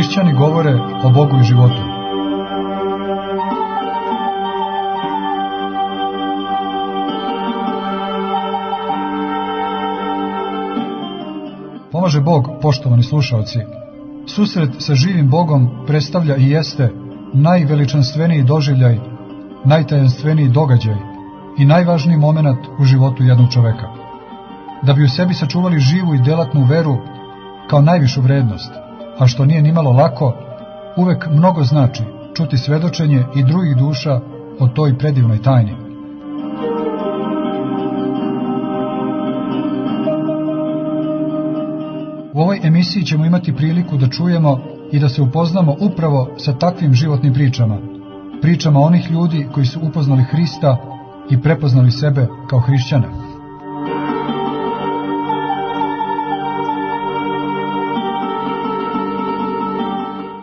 Hrišćani govore o Bogu i životu. Pomaže Bog, poštovani slušaoci. Susret sa živim Bogom predstavlja i jeste najveličanstveniji doživljaj, najtajanstveniji događaj i najvažniji moment u životu jednog čoveka. Da bi u sebi sačuvali živu i delatnu veru kao najvišu vrednost, a što nije nimalo lako, uvek mnogo znači čuti svedočenje i drugih duša o toj predivnoj tajni. U ovoj emisiji ćemo imati priliku da čujemo i da se upoznamo upravo sa takvim životnim pričama, pričama onih ljudi koji su upoznali Hrista i prepoznali sebe kao hrišćane.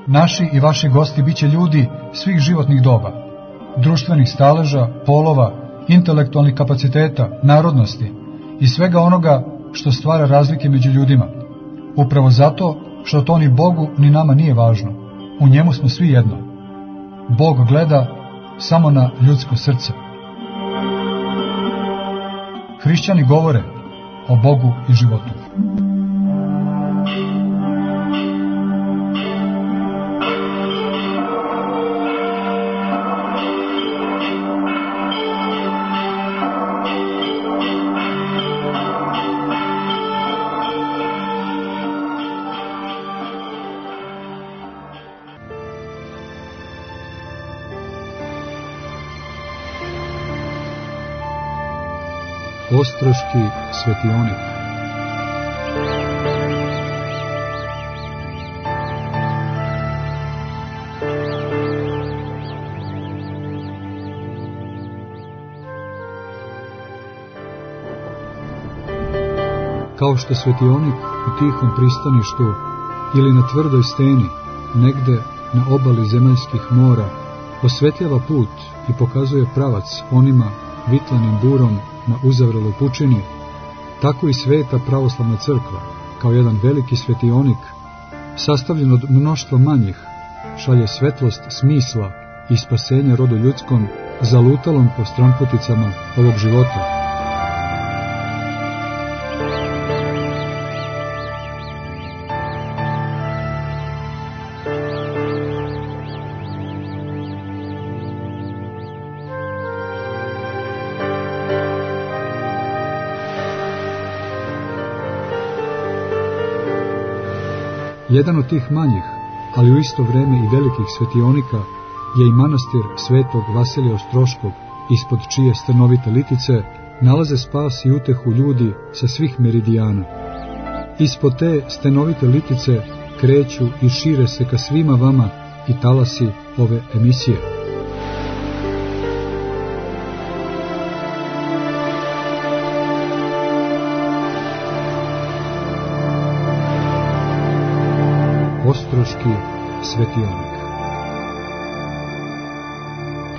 Naši i vaši gosti biće ljudi svih životnih doba, društvenih staleža, polova, intelektualnih kapaciteta, narodnosti i svega onoga što stvara razlike među ljudima. Upravo zato što to ni Bogu ni nama nije važno. U njemu smo svi jedno. Bog gleda samo na ljudsko srce. Hrišćani govore o Bogu i životu. Ostroški svetionik. Kao što svetionik u tihom pristaništu ili na tvrdoj steni, negde na obali zemaljskih mora, osvetljava put i pokazuje pravac onima vitlanim burom na uzavreloj pučini, tako i sveta pravoslavna crkva, kao jedan veliki svetionik, sastavljen od mnoštva manjih, šalje svetlost smisla i spasenja rodu ljudskom, zalutalom po stranputicama ovog života. Jedan od tih manjih, ali u isto vreme i velikih svetionika, je i manastir svetog Vasilija Ostroškog, ispod čije stanovite litice nalaze spas i utehu ljudi sa svih meridijana. Ispod te stanovite litice kreću i šire se ka svima vama i talasi ove emisije. Ostroški svetionik.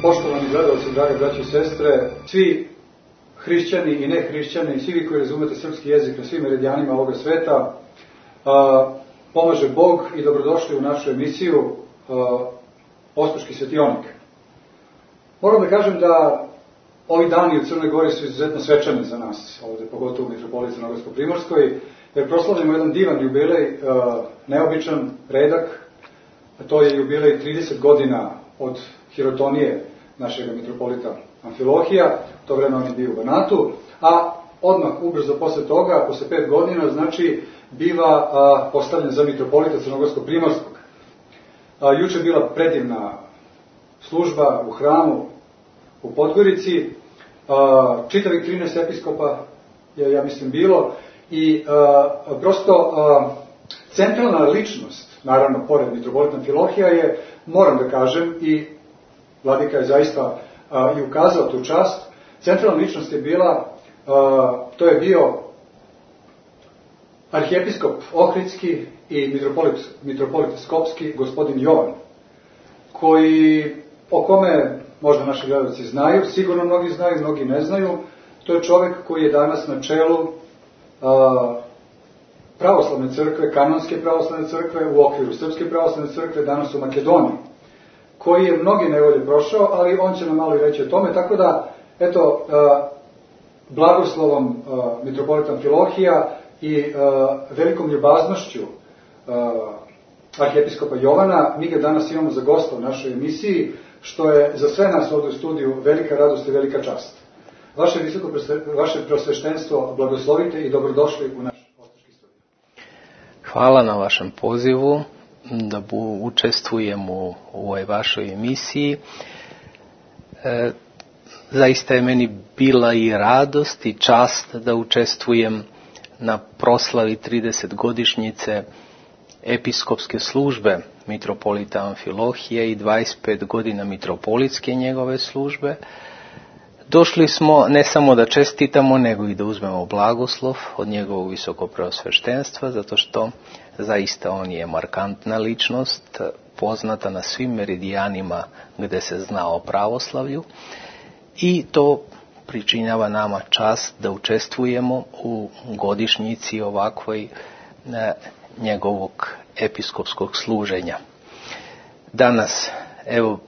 Poštovani gledalci, drage braće i sestre, svi hrišćani i nehrišćani, svi vi koji razumete srpski jezik na svim meridijanima ovoga sveta, pomaže Bog i dobrodošli u našu emisiju Ostroški svetionik. Moram da kažem da ovi dani u Crnoj Gori su izuzetno svečani za nas, ovde pogotovo u mitropoliji Crnogorsko-Primorskoj, jer proslavljamo jedan divan jubilej, neobičan, redak, a to je jubilej 30 godina od hirotonije našeg mitropolita Amfilohija, to vreme on je bio u Banatu, a odmah ubrzo posle toga, posle 5 godina, znači, biva postavljen za mitropolita Crnogorsko-Primorskog. Juče je bila predivna služba u hramu u Podgorici, čitavih 13 episkopa je, ja mislim, bilo, i prosto centralna ličnost, naravno, pored mitropolita Amfilohija je, moram da kažem, i vladika je zaista i ukazao tu čast, centralna ličnost je bila, to je bio arhijepiskop Ohridski i mitropolit Skopski, gospodin Jovan, o kome možda naši gledalci znaju, sigurno mnogi znaju, mnogi ne znaju. To je čovjek koji je danas na čelu pravoslavne crkve, kanonske pravoslavne crkve, u okviru Srpske pravoslavne crkve, danas u Makedoniji, koji je mnogi nevolje prošao, ali on će nam malo reći o tome, tako da, eto, blagoslovom mitropolita Amfilohija i velikom ljubaznošću arhijepiskopa Jovana, mi ga danas imamo za gosta u našoj emisiji, što je za sve nas ovdje u studiju velika radost i velika čast. Vaše prosveštenstvo blagoslovite i dobrodošli u naš Ostroški studio. Hvala na vašem pozivu da učestvujem u ovoj vašoj emisiji. Zaista je meni bila i radost i čast da učestvujem na proslavi 30-godišnjice episkopske službe mitropolita Amfilohije i 25 godina mitropolitske njegove službe. Došli smo ne samo da čestitamo, nego i da uzmemo blagoslov od njegovog visokopreosveštenstva, zato što zaista on je markantna ličnost, poznata na svim meridijanima gde se zna o pravoslavlju, i to pričinjava nama čast da učestvujemo u godišnjici ovakvoj njegovog episkopskog služenja. Danas, evo,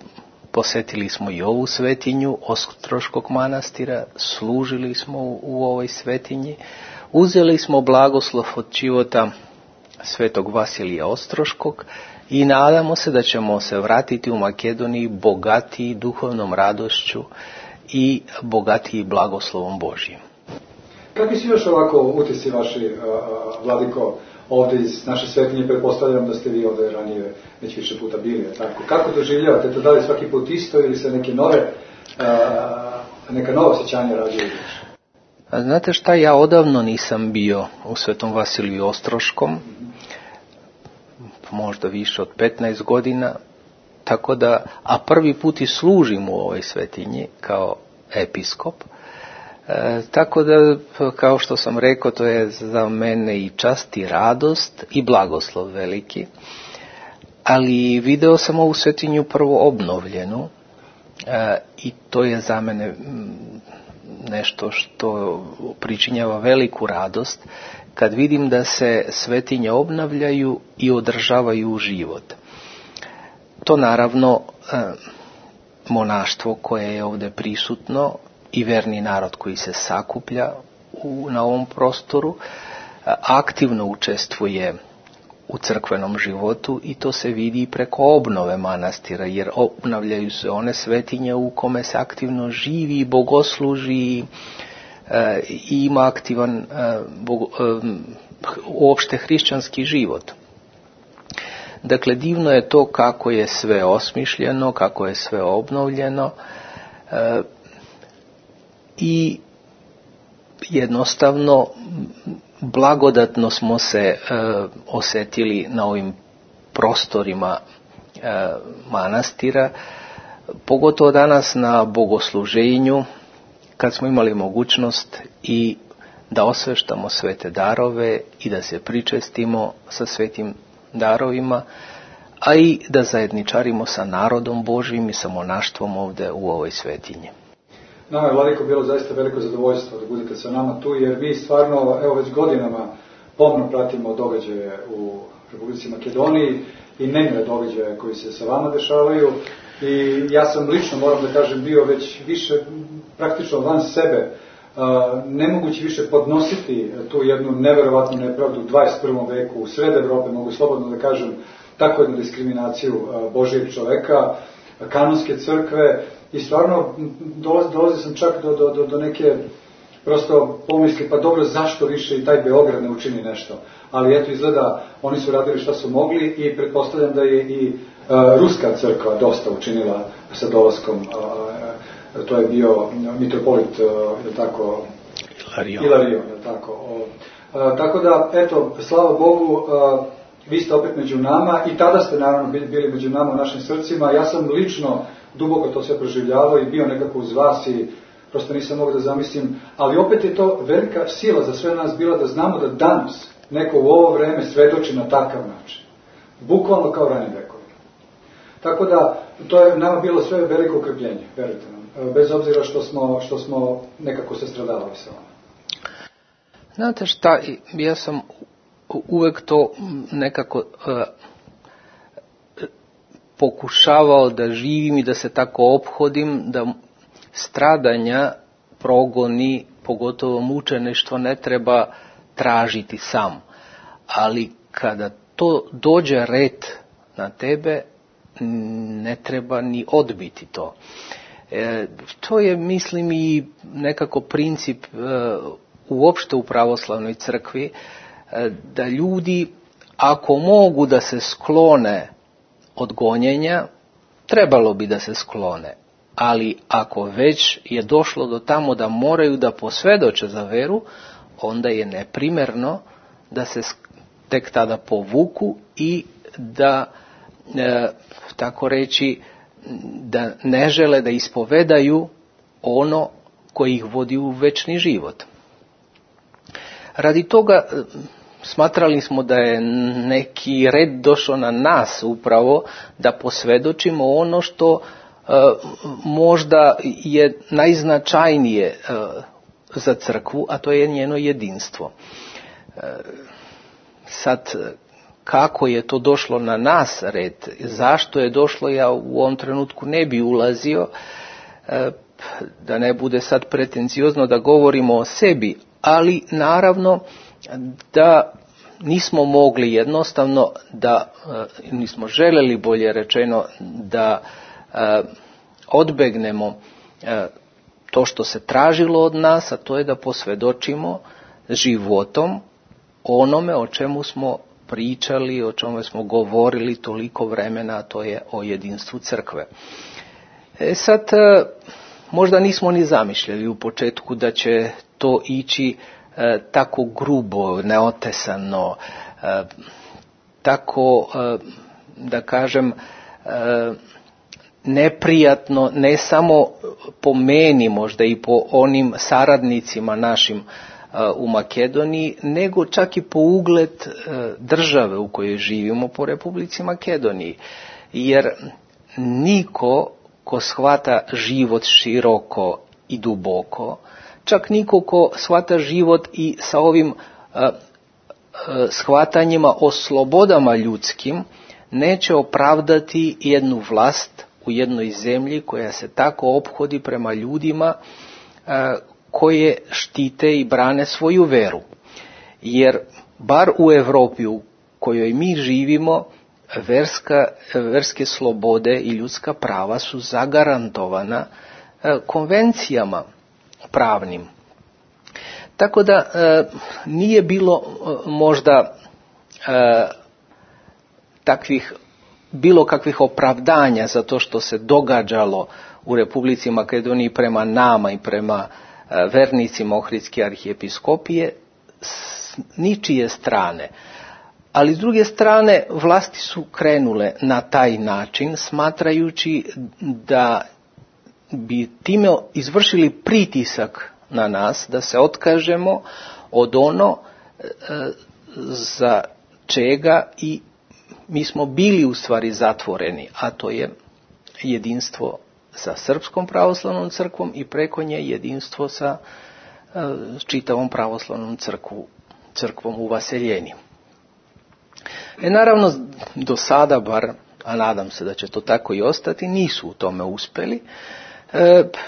posetili smo i ovu svetinju Ostroškog manastira, služili smo u ovoj svetinji, uzeli smo blagoslov od života svetog Vasilija Ostroškog i nadamo se da ćemo se vratiti u Makedoniji bogatiji duhovnom radošću i bogatiji blagoslovom Božjim. Kakvi su još ovako utisci vaši, vladiko, ovdje iz naše svetinje? Pretpostavljam da ste vi ovdje ranije već više puta bili, tako? Kako doživljavate to? Da li svaki put isto ili se neka nova osjećanja rađaju? Znate šta, ja odavno nisam bio u Svetom Vasiliju Ostroškom, možda više od 15 godina, tako da, a prvi put i služim u ovoj svetinji kao episkop. Tako da, kao što sam rekao, to je za mene i čast i radost i blagoslov veliki. Ali video sam ovu svetinju prvo obnovljenu i to je za mene nešto što pričinjava veliku radost kad vidim da se svetinje obnavljaju i održavaju u život. To naravno monaštvo koje je ovdje prisutno i verni narod koji se sakuplja na ovom prostoru aktivno učestvuje u crkvenom životu i to se vidi preko obnove manastira, jer obnavljaju se one svetinje u kome se aktivno živi, bogosluži i ima aktivan uopšte hrišćanski život. Dakle, divno je to kako je sve osmišljeno, kako je sve obnovljeno i jednostavno blagodatno smo se osjetili na ovim prostorima manastira, pogotovo danas na bogosluženju, kad smo imali mogućnost i da osveštamo svete darove i da se pričestimo sa svetim darovima, a i da zajedničarimo sa narodom Božjim i sa monaštvom ovdje u ovoj svetinji. Nama je, vladiko, bilo zaista veliko zadovoljstvo da budete sa nama tu, jer mi stvarno, evo, već godinama pomno pratimo događaje u Republici Makedoniji i nemile događaje koji se sa vama dešavaju. I ja sam lično, moram da kažem, bio već više praktično van sebe, nemogući više podnositi tu jednu neverovatnu nepravdu u 21. veku u sred Evrope, mogu slobodno da kažem, takvu jednu diskriminaciju Božijeg čoveka, kanonske crkve. I stvarno dolazio sam čak do neke prosto pomisli, pa dobro, zašto više i taj Beograd ne učini nešto. Ali eto, izgleda, oni su radili šta su mogli i pretpostavljam da je i ruska crkva dosta učinila sa dolaskom. To je bio mitropolit, tako, Ilarion, tako. Tako da, eto, slava Bogu, vi ste opet među nama i tada ste naravno bili među nama u našim srcima. Ja sam lično duboko to sve proživljavao i bio nekako uz vas i prosto nisam mogao da zamislim, ali opet je to velika sila za sve nas bila da znamo da danas neko u ovo vreme svedoči na takav način. Bukvalno kao ranim vekovima. Tako da, to je nama bilo sve veliko ukrpljenje, verujte nam, bez obzira što smo nekako se stradavali sa vama. Znate šta, ja sam uvek to nekako pokušavao da živim i da se tako ophodim, da stradanja, progoni, pogotovo mučeništvo, ne treba tražiti sam. Ali kada to dođe red na tebe, ne treba ni odbiti to. To je, mislim, i nekako princip uopšte u pravoslavnoj crkvi, da ljudi, ako mogu da se sklone od gonjenja, trebalo bi da se sklone. Ali ako već je došlo do tamo da moraju da posvedoče za veru, onda je neprimerno da se tek tada povuku i da, tako reći, da ne žele da ispovedaju ono koji ih vodi u večni život. Radi toga smatrali smo da je neki red došao na nas upravo da posvedočimo ono što možda je najznačajnije za crkvu, a to je njeno jedinstvo. Sad, kako je to došlo na nas red, zašto je došlo, ja u ovom trenutku ne bi ulazio, da ne bude sad pretenciozno da govorimo o sebi, ali naravno da nismo mogli jednostavno, da nismo želeli, bolje rečeno, da odbegnemo to što se tražilo od nas, a to je da posvedočimo životom onome o čemu smo pričali, o čemu smo govorili toliko vremena, a to je o jedinstvu crkve. Sad, možda nismo ni zamišljali u početku da će to ići tako grubo, neotesano, tako, da kažem, neprijatno, ne samo po meni, možda i po onim saradnicima našim u Makedoniji, nego čak i po ugled države u kojoj živimo, po Republici Makedoniji. Jer niko ko shvata život široko i duboko, čak niko ko shvata život i sa ovim shvatanjima o slobodama ljudskim, neće opravdati jednu vlast u jednoj zemlji koja se tako ophodi prema ljudima koje štite i brane svoju veru. Jer bar u Europi u kojoj mi živimo, verske slobode i ljudska prava su zagarantovana konvencijama pravnim. Tako da nije bilo možda bilo kakvih opravdanja za to što se događalo u Republici Makedoniji prema nama i prema vernicima Ohridske arhijepiskopije s ničije strane. Ali s druge strane vlasti su krenule na taj način, smatrajući da bi time izvršili pritisak na nas da se otkažemo od ono za čega i mi smo bili u stvari zatvoreni, a to je jedinstvo sa Srpskom pravoslavnom crkvom i preko nje jedinstvo sa čitavom pravoslavnom crkvom u Vaseljeni. Naravno, do sada bar, a nadam se da će to tako i ostati, nisu u tome uspeli.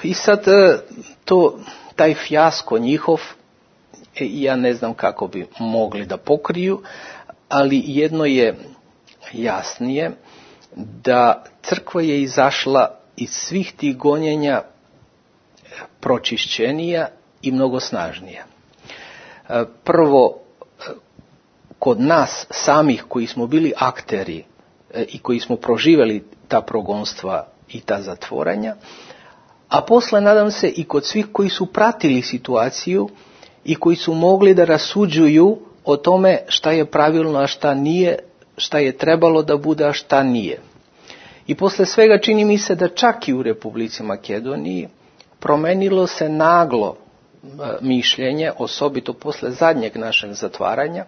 I sad taj fijasko njihov, ja ne znam kako bi mogli da pokriju, ali jedno je jasnije, da crkva je izašla iz svih tih gonjenja pročišćenija i mnogo snažnija. Prvo, kod nas samih koji smo bili akteri i koji smo proživjeli ta progonstva i ta zatvoranja, a posle, nadam se, i kod svih koji su pratili situaciju i koji su mogli da rasuđuju o tome šta je pravilno, a šta nije, šta je trebalo da bude, a šta nije. I posle svega čini mi se da čak i u Republici Makedoniji promenilo se naglo mišljenje, osobito posle zadnjeg našeg zatvaranja.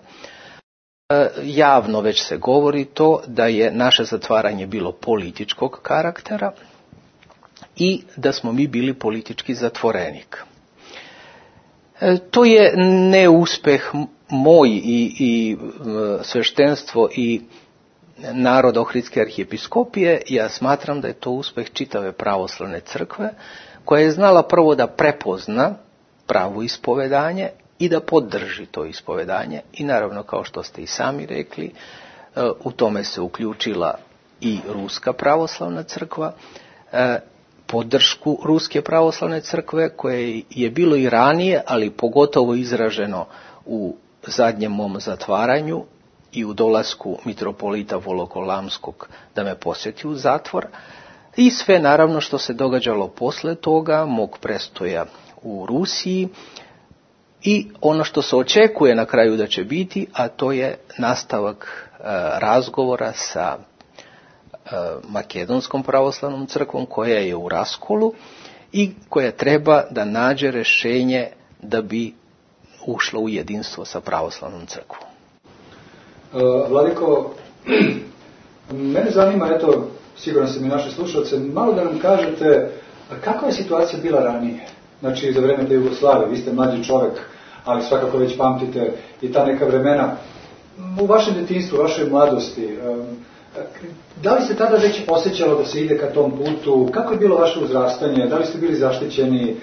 Javno već se govori to da je naše zatvaranje bilo političkog karaktera i da smo mi bili politički zatvorenik. To je neuspeh moj i sveštenstvo i narod Ohridske arhijepiskopije, ja smatram da je to uspeh čitave pravoslavne crkve, koja je znala prvo da prepozna pravo ispovedanje i da podrži to ispovedanje. I naravno, kao što ste i sami rekli, u tome se uključila i Ruska pravoslavna crkva, podršku Ruske pravoslavne crkve, koje je bilo i ranije, ali pogotovo izraženo u zadnjem mom zatvaranju i u dolasku mitropolita Volokolamskog da me posjeti u zatvor, i sve naravno što se događalo posle toga, mog prestoja u Rusiji, i ono što se očekuje na kraju da će biti, a to je nastavak razgovora sa Makedonskom pravoslavnom crkvom, koja je u raskolu i koja treba da nađe rješenje da bi ušla u jedinstvo sa pravoslavnom crkvom. Vladiko, mene zanima, eto, siguran sam i naše slušalce, malo da nam kažete kakva je situacija bila ranije, znači za vreme te Jugoslavije. Vi ste mlađi čovjek, ali svakako već pamtite i ta neka vremena. U vašem djetinjstvu, u vašoj mladosti, da li se tada već osjećalo da se ide ka tom putu? Kako je bilo vaše uzrastanje? Da li ste bili zaštićeni?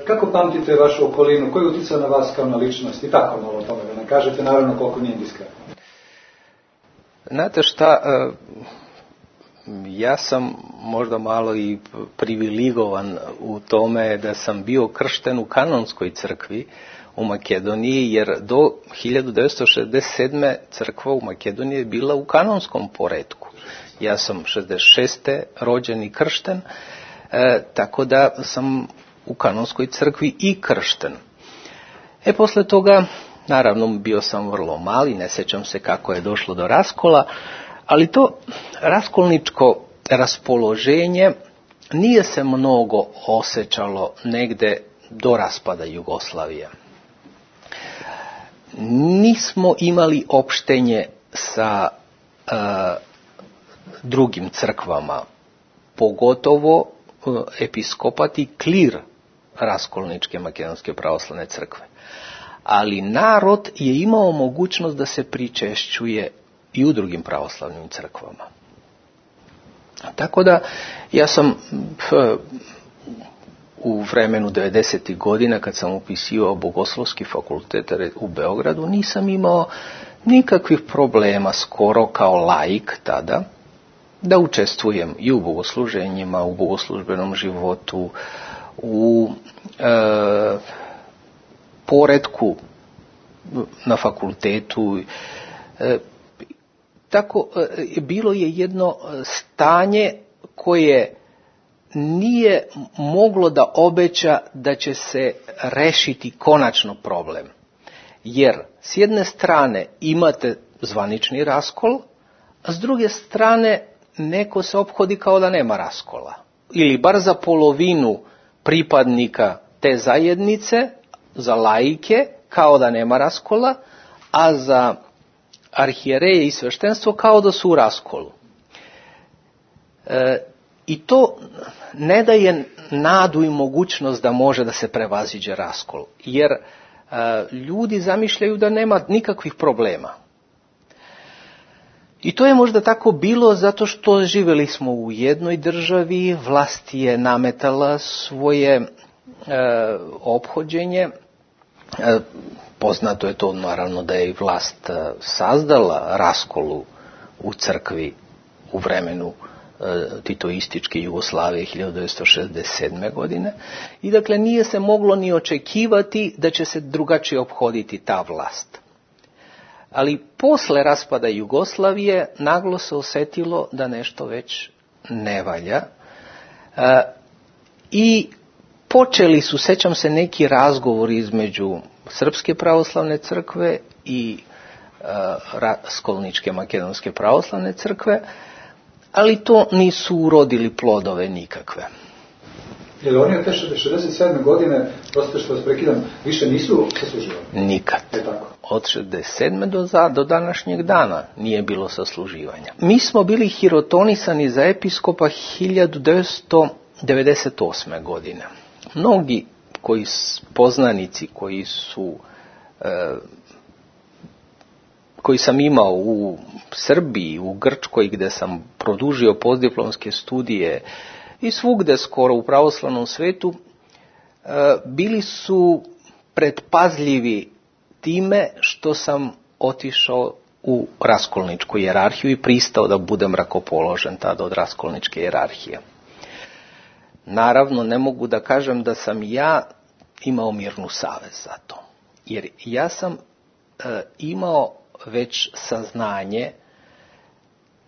Kako pamtite vašu okolinu? Koji je utjecao na vas kao na ličnost? I tako malo o tome da nam kažete, naravno koliko nije diskretno. Znate šta, ja sam možda malo i privilegovan u tome da sam bio kršten u kanonskoj crkvi u Makedoniji, jer do 1967. crkva u Makedoniji je bila u kanonskom poretku. Ja sam 66. rođen i kršten, tako da sam u kanonskoj crkvi i kršten. Posle toga, naravno, bio sam vrlo mali, ne sjećam se kako je došlo do raskola, ali to raskolničko raspoloženje nije se mnogo osjećalo negde do raspada Jugoslavije. Nismo imali opštenje sa drugim crkvama, pogotovo episkopat i klir raskolničke Makedonske pravoslavne crkve. Ali narod je imao mogućnost da se pričešćuje i u drugim pravoslavnim crkvama. Tako da ja sam u vremenu 90. godina, kad sam upisivao Bogoslovski fakultet u Beogradu, nisam imao nikakvih problema, skoro kao laik tada, da učestvujem i u bogosluženjima, u bogoslužbenom životu, u poretku na fakultetu. Tako, bilo je jedno stanje koje nije moglo da obeća da će se rešiti konačno problem. Jer s jedne strane imate zvanični raskol, a s druge strane neko se ophodi kao da nema raskola. Ili bar za polovinu pripadnika te zajednice, za laike, kao da nema raskola, a za arhijereje i sveštenstvo kao da su u raskolu. I to ne daje nadu i mogućnost da može da se prevaziđe raskol, jer ljudi zamišljaju da nema nikakvih problema. I to je možda tako bilo zato što živjeli smo u jednoj državi, vlast je nametala svoje ophođenje. Poznato je to naravno da je i vlast sazdala raskolu u crkvi u vremenu titoističke Jugoslavije 1967. godine i dakle nije se moglo ni očekivati da će se drugačije ophoditi ta vlast. Ali posle raspada Jugoslavije naglo se osjetilo da nešto već ne valja i počeli su, sećam se, neki razgovori između Srpske pravoslavne crkve i Raskolničke Makedonske pravoslavne crkve, ali to nisu urodili plodove nikakve. Jer oni od te 67. godine, prosto što vas prekidam, više nisu sasluživani? Nikad. Od 67. do današnjeg dana nije bilo sasluživanja. Mi smo bili hirotonisani za episkopa 1998. godine. Mnogi poznanici koji su koji sam imao u Srbiji, u Grčkoj gdje sam produžio postdiplomske studije i svugde skoro u pravoslavnom svetu, bili su predpazljivi time što sam otišao u raskolničku hijerarhiju i pristao da budem rakopoložen tada od raskolničke hijerarhije. Naravno, ne mogu da kažem da sam ja imao mirnu savest za to, jer ja sam imao već saznanje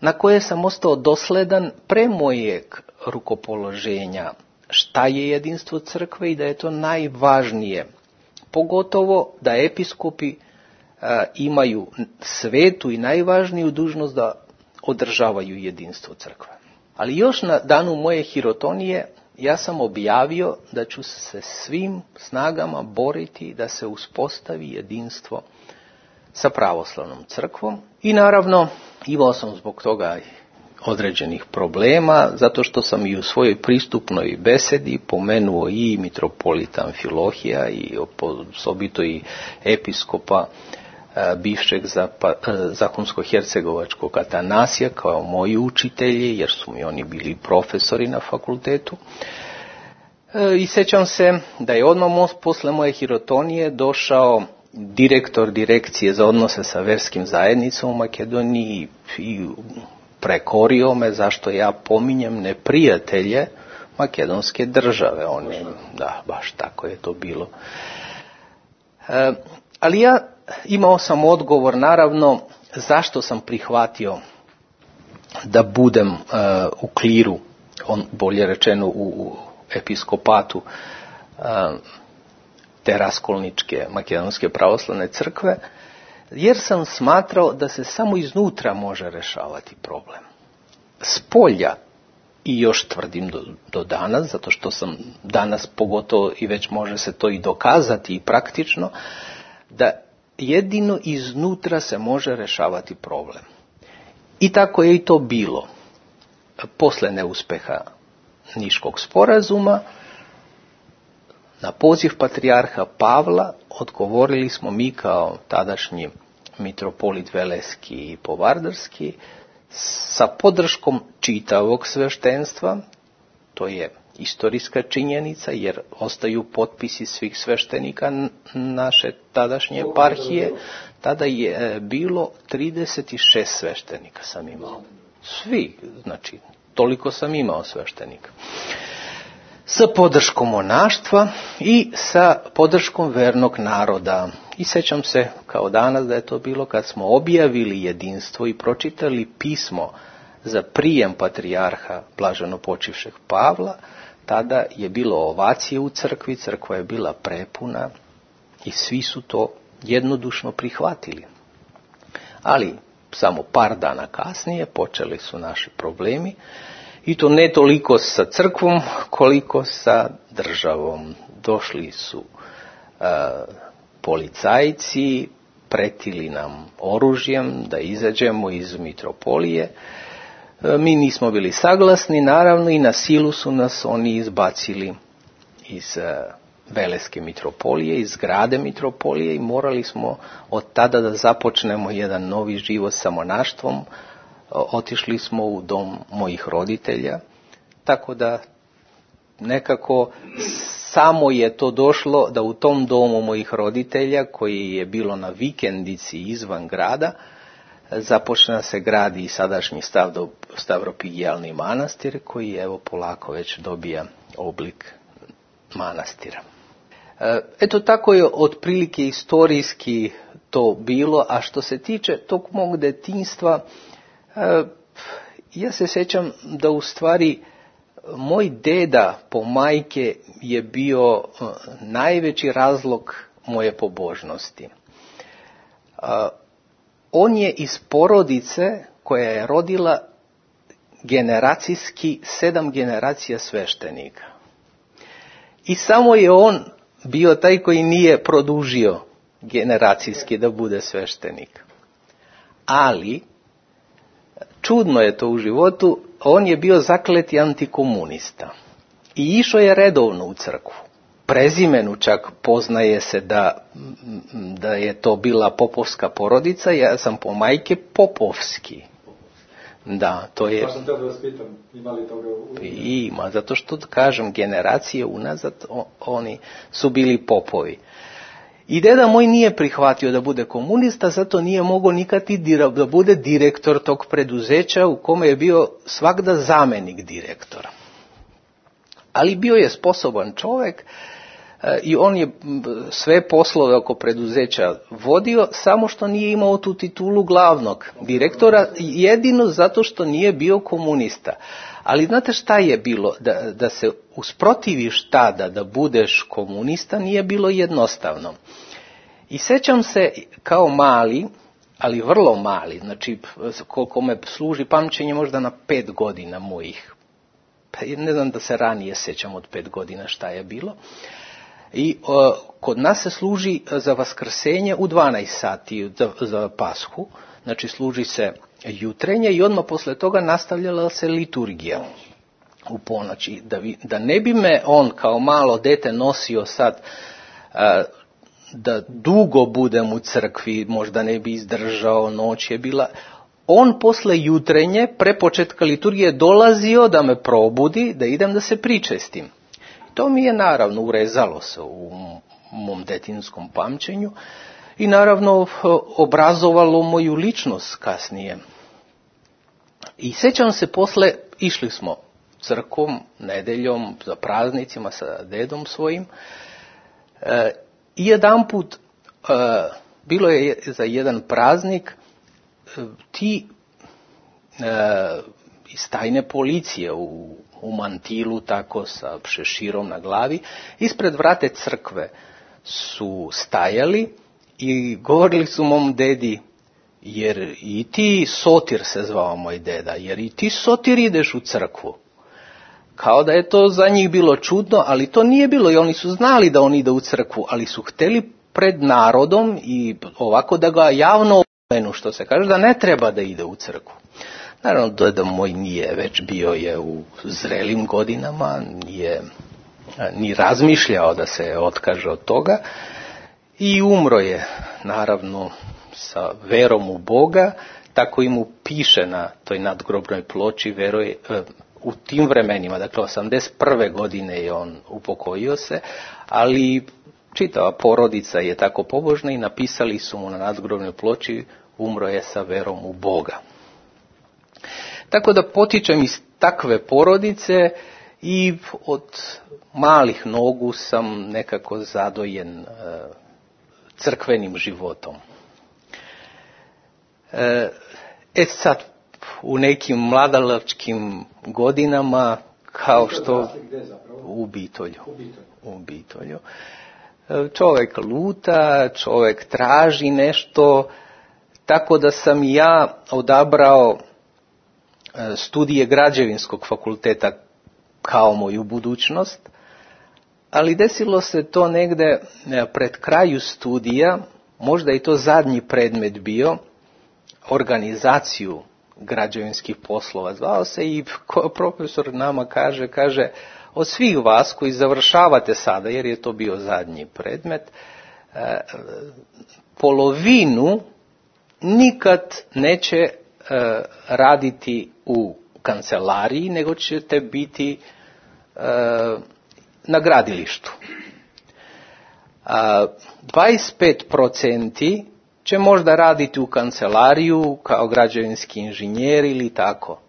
na koje sam ostao dosledan pre mojeg rukopoloženja šta je jedinstvo crkve i da je to najvažnije, pogotovo da episkopi imaju svetu i najvažniju dužnost da održavaju jedinstvo crkve. Ali još na danu moje hirotonije ja sam objavio da ću se svim snagama boriti da se uspostavi jedinstvo sa pravoslavnom crkvom i naravno imao sam zbog toga određenih problema, zato što sam i u svojoj pristupnoj besedi pomenuo i mitropolita Amfilohija i osobito i episkopa bivšeg zahumsko-hercegovačkog Atanasija kao moji učitelji, jer su mi oni bili profesori na fakultetu. I sjećam se da je odmah posle moje hirotonije došao direktor direkcije za odnose sa verskim zajednicom u Makedoniji i prekorio me zašto ja pominjem neprijatelje makedonske države. Da, baš tako je to bilo. Ali ja imao sam odgovor, naravno, zašto sam prihvatio da budem u kliru, bolje rečeno u episkopatu te raskolničke makedonske pravoslavne crkve, jer sam smatrao da se samo iznutra može rešavati problem. Spolja, i još tvrdim do danas, zato što sam danas pogotovo i već može se to i dokazati i praktično, da jedino iznutra se može rešavati problem. I tako je i to bilo. Posle neuspeha Niškog sporazuma, na poziv patrijarha Pavla odgovorili smo mi kao tadašnji mitropolit Veleski i Povardarski sa podrškom čitavog sveštenstva. To je istorijska činjenica jer ostaju potpisi svih sveštenika naše tadašnje eparhije. Tada je bilo 36 sveštenika sam imao. Svi, znači toliko sam imao sveštenika. Sa podrškom monaštva i sa podrškom vernog naroda. I sećam se kao danas da je to bilo kad smo objavili jedinstvo i pročitali pismo za prijem patrijarha blaženopočivšeg Pavla. Tada je bilo ovacije u crkvi, crkva je bila prepuna i svi su to jednodušno prihvatili. Ali samo par dana kasnije počeli su naši problemi. I to ne toliko sa crkvom, koliko sa državom. Došli su policajci, pretili nam oružjem da izađemo iz mitropolije. Mi nismo bili saglasni, naravno, i na silu su nas oni izbacili iz Veleske mitropolije, iz zgrade mitropolije i morali smo od tada da započnemo jedan novi život sa monaštvom. Otišli smo u dom mojih roditelja, tako da nekako samo je to došlo da u tom domu mojih roditelja, koji je bilo na vikendici izvan grada, započne se gradi i sadašnji Stavropigijalni manastir, koji evo polako već dobija oblik manastira. Eto tako je otprilike istorijski to bilo, a što se tiče tog mog detinjstva, ja se sjećam da u stvari moj deda po majke je bio najveći razlog moje pobožnosti. On je iz porodice koja je rodila generacijski 7 generacija sveštenika. I samo je on bio taj koji nije produžio generacijski da bude sveštenik. Ali čudno je to u životu, on je bio zakleti antikomunista i išao je redovno u crkvu. prezimenu čak poznaje se da je to bila popovska porodica, ja sam po majke Popovski. Da, to je... Pa sam te da vas pitam, ima li toga Ima, zato što, kažem, generacije unazad oni su bili popovi. I deda moj nije prihvatio da bude komunista, zato nije mogao nikad da bude direktor tog preduzeća u kome je bio svagda zamenik direktora. Ali bio je sposoban čovjek i on je sve poslove oko preduzeća vodio, samo što nije imao tu titulu glavnog direktora, jedino zato što nije bio komunista. Ali znate šta je bilo? Da se usprotiviš tada da budeš komunista nije bilo jednostavno. I sećam se kao mali, ali vrlo mali, znači koliko me služi pamćenje možda na 5 godina mojih. Ne znam da se ranije sećam od 5 godina šta je bilo. I kod nas se služi za vaskrsenje u 12 sati za Pashu, znači služi se jutrenje i odmah posle toga nastavljala se liturgija u ponoći. Da ne bi me on kao malo dete nosio sad da dugo budem u crkvi, možda ne bi izdržao, noć je bila. On posle jutrenje, pre početka liturgije, dolazio da me probudi, da idem da se pričestim. To mi je naravno urezalo se u mom detinskom pamćenju i naravno obrazovalo moju ličnost kasnije. I sećam se posle, išli smo crkom, nedeljom, za praznicima sa dedom svojim, i jedanput, bilo je za jedan praznik, ti iz tajne policije u mantilu, tako sa šeširom na glavi, ispred vrate crkve su stajali i govorili su mom dedi, jer i ti Sotir se zvao moj deda, jer i ti Sotir ideš u crkvu. Kao da je to za njih bilo čudno, ali to nije bilo i oni su znali da on ide u crkvu, ali su hteli pred narodom i ovako da ga javno opomenu, što se kaže, da ne treba da ide u crkvu. Naravno, deda moj nije, već bio je u zrelim godinama, nije ni razmišljao da se otkaže od toga i umro je, naravno, sa verom u Boga, tako i mu piše na toj nadgrobnoj ploči, veruje, u tim vremenima, dakle 81. godine je on upokojio se, ali čitava porodica je tako pobožna i napisali su mu na nadgrobnoj ploči, umro je sa verom u Boga. Tako da potičem iz takve porodice i od malih nogu sam nekako zadojen crkvenim životom. Sad, u nekim mladalačkim godinama, kao što u Bitolju. Čovjek luta, čovjek traži nešto, tako da sam ja odabrao studije građevinskog fakulteta kao moju budućnost, ali desilo se to negde pred kraju studija, možda i to zadnji predmet bio, organizaciju građevinskih poslova zvao se i profesor nama kaže od svih vas koji završavate sada, jer je to bio zadnji predmet, polovinu nikad neće raditi u kancelariji, nego ćete biti na gradilištu. 25% će možda raditi u kancelariju kao građevinski inženjer ili tako.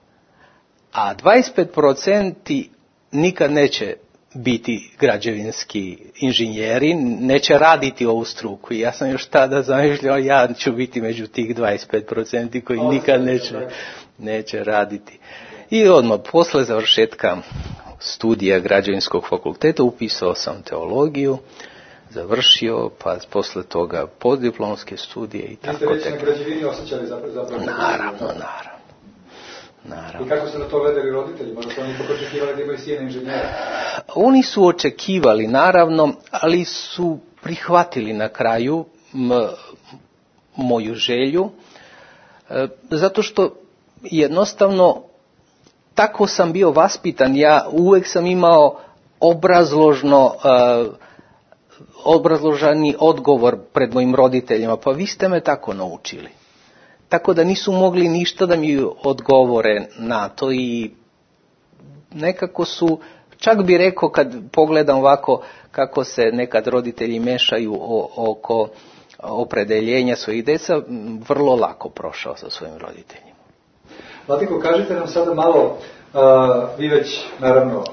A 25% nikad neće biti građevinski inženjeri, neće raditi ovu struku. I ja sam još tada zamišljao, ja ću biti među tih 25% koji nikad neće raditi. I odmah posle završetka studija građevinskog fakulteta upisao sam teologiju, završio, pa posle toga postdiplomske studije i tako. Niste već na građevini osjećali zapravo? Naravno. I kako su na to gledali roditelji? Možda su oni ipak očekivali da imaju sina inženjera? Oni su očekivali, naravno, ali su prihvatili na kraju moju želju, zato što jednostavno tako sam bio vaspitan. Ja uvek sam imao obrazložno obrazloženi odgovor pred mojim roditeljima, pa vi ste me tako naučili. Tako da nisu mogli ništa da mi odgovore na to i nekako su, čak bi rekao kad pogledam ovako kako se nekad roditelji mešaju oko opredeljenja svojih deca, vrlo lako prošao sa svojim roditeljima. Vlatko, kažite nam sada malo, vi već naravno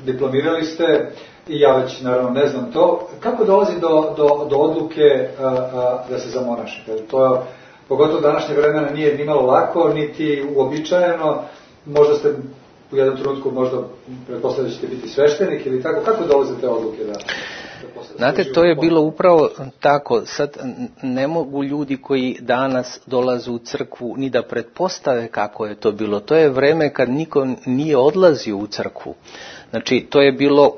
diplomirali ste i ja već naravno ne znam to, kako dolazi do odluke da se zamonašite? To pogotovo današnje vremena nije ni malo lako, niti uobičajeno, možda ste u jednom trenutku možda pretpostavljate da ćete biti sveštenik ili tako, kako dolaze te odluke da znate, to je bilo upravo tako. Sad ne mogu ljudi koji danas dolaze u crkvu ni da pretpostave kako je to bilo. To je vreme kad niko nije odlazio u crkvu. Znači, to je bilo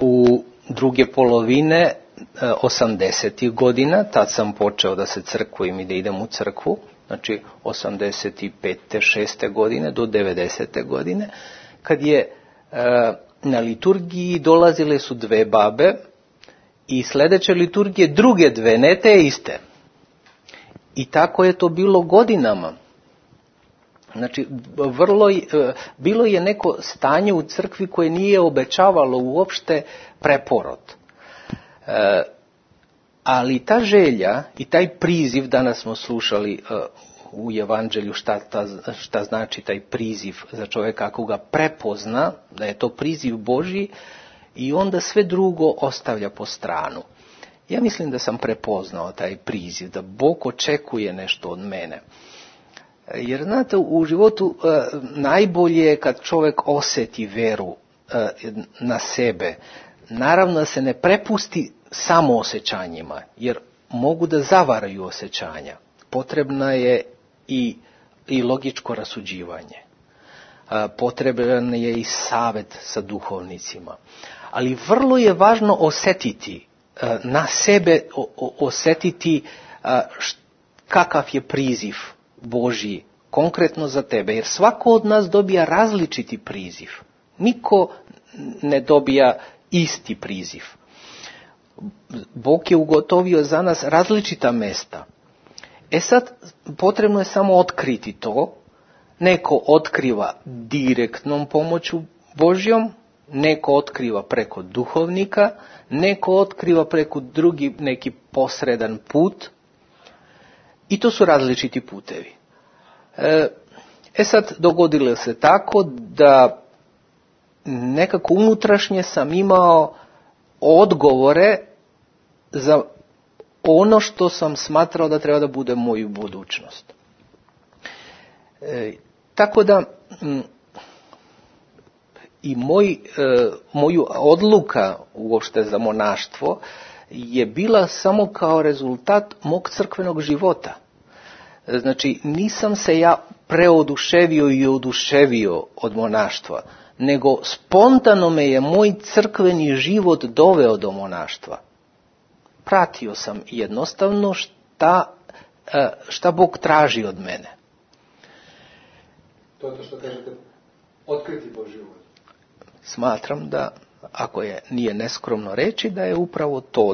u druge polovine 80. godina, tad sam počeo da se crkvujem i da idem u crkvu, znači 85. 6. godine do 90. godine, kad je na liturgiji dolazile su dve babe i sljedeće liturgije druge dve, ne te iste. I tako je to bilo godinama. Znači, bilo je neko stanje u crkvi koje nije obećavalo uopšte preporod. Ali ta želja i taj priziv, danas smo slušali u Evanđelju šta znači taj priziv za čovjeka ako ga prepozna, da je to priziv Božji i onda sve drugo ostavlja po stranu. Ja mislim da sam prepoznao taj priziv, da Bog očekuje nešto od mene. Jer znate, u životu najbolje je kad čovjek osjeti veru na sebe. Naravno da se ne prepusti samo osjećanjima, jer mogu da zavaraju osjećanja. Potrebna je i logičko rasuđivanje. Potreban je i savjet sa duhovnicima. Ali vrlo je važno osjetiti na sebe, osjetiti kakav je priziv Božji konkretno za tebe. Jer svako od nas dobija različiti priziv. Niko ne dobija isti priziv. Bog je ugotovio za nas različita mesta. Sad, potrebno je samo otkriti to. Neko otkriva direktnom pomoću Božjom, neko otkriva preko duhovnika, neko otkriva preko drugi neki posredan put. I to su različiti putevi. Sad, dogodilo se tako da nekako unutrašnje sam imao odgovore za ono što sam smatrao da treba da bude moju budućnost. Tako da i moju odluka uopšte za monaštvo je bila samo kao rezultat mog crkvenog života. Znači, nisam se ja preoduševio i oduševio od monaštva, nego spontano me je moj crkveni život doveo do monaštva. Pratio sam jednostavno šta Bog traži od mene. To je to što kažete, otkriti Božji uvod. Smatram da, ako nije neskromno reći, da je upravo to,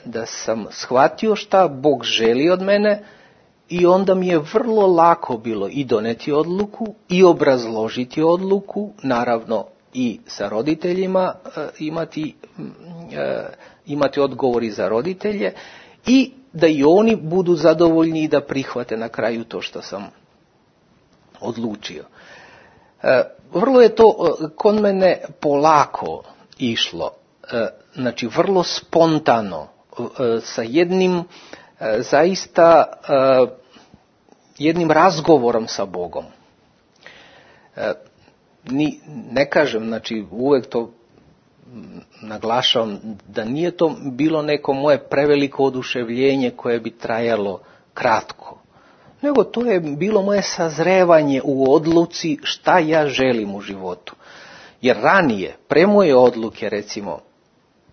da sam shvatio šta Bog želi od mene i onda mi je vrlo lako bilo i doneti odluku i obrazložiti odluku, naravno i sa roditeljima imati odgovori za roditelje i da i oni budu zadovoljni i da prihvate na kraju to što sam odlučio. Vrlo je to kod mene polako išlo, znači vrlo spontano, sa jednim zaista jednim razgovorom sa Bogom. Ne kažem, znači uvek to naglašavam, da nije to bilo neko moje preveliko oduševljenje koje bi trajalo kratko, nego to je bilo moje sazrevanje u odluci šta ja želim u životu. Jer ranije, pre moje odluke, recimo,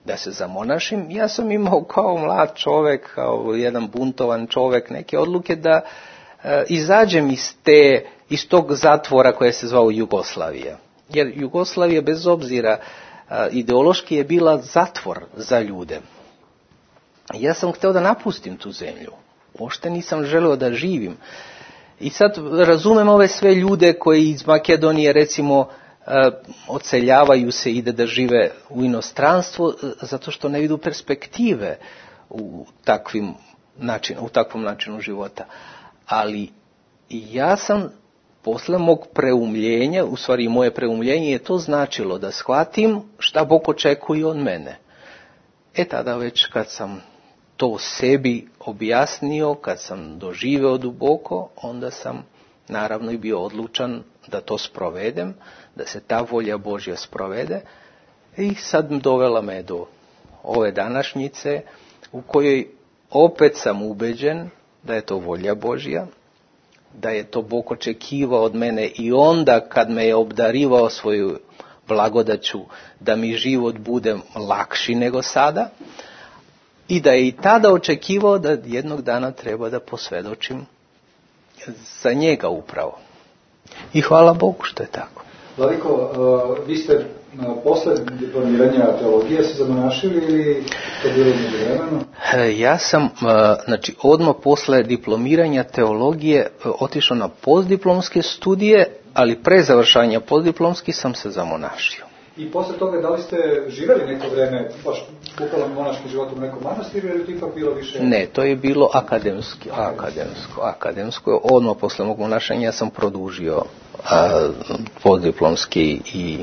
da se zamonašim, ja sam imao kao mlad čovek, kao jedan buntovan čovek, neke odluke da izađem iz tog zatvora koje se zvao Jugoslavija. Jer Jugoslavija, bez obzira ideološki, je bila zatvor za ljude. ja sam htio da napustim tu zemlju. Uopšte nisam želeo da živim. I sad razumem ove sve ljude koji iz Makedonije recimo odseljavaju se, ide da žive u inostranstvo zato što ne vidu perspektive u takvom načinu života. Ali ja sam posle mog preumljenja, u stvari moje preumljenje je to značilo da shvatim šta Bog očekuje od mene. Tada već kad sam to sebi objasnio, kad sam doživeo duboko, onda sam naravno i bio odlučan da to sprovedem, da se ta volja Božja sprovede, i sad dovela me do ove današnjice u kojoj opet sam ubeđen da je to volja Božja, da je to Bog očekivao od mene i onda kad me je obdarivao svoju blagodaću da mi život bude lakši nego sada, i da je i tada očekivao da jednog dana treba da posvjedočim za njega upravo. I hvala Bogu što je tako. Vladiko, vi ste posle diplomiranja teologije se zamonašili ili to bilo međuvremeno? Ja sam, odmah posle diplomiranja teologije otišao na postdiplomske studije, ali pre završanja postdiplomskih sam se zamonašio. I posle toga, da li ste živjeli neko vreme, baš bukvalno monaškim životom u nekom manastiru, ili to ipak bilo više? Ne, to je bilo akademsko. Odmah posle mog monašanja sam produžio postdiplomski i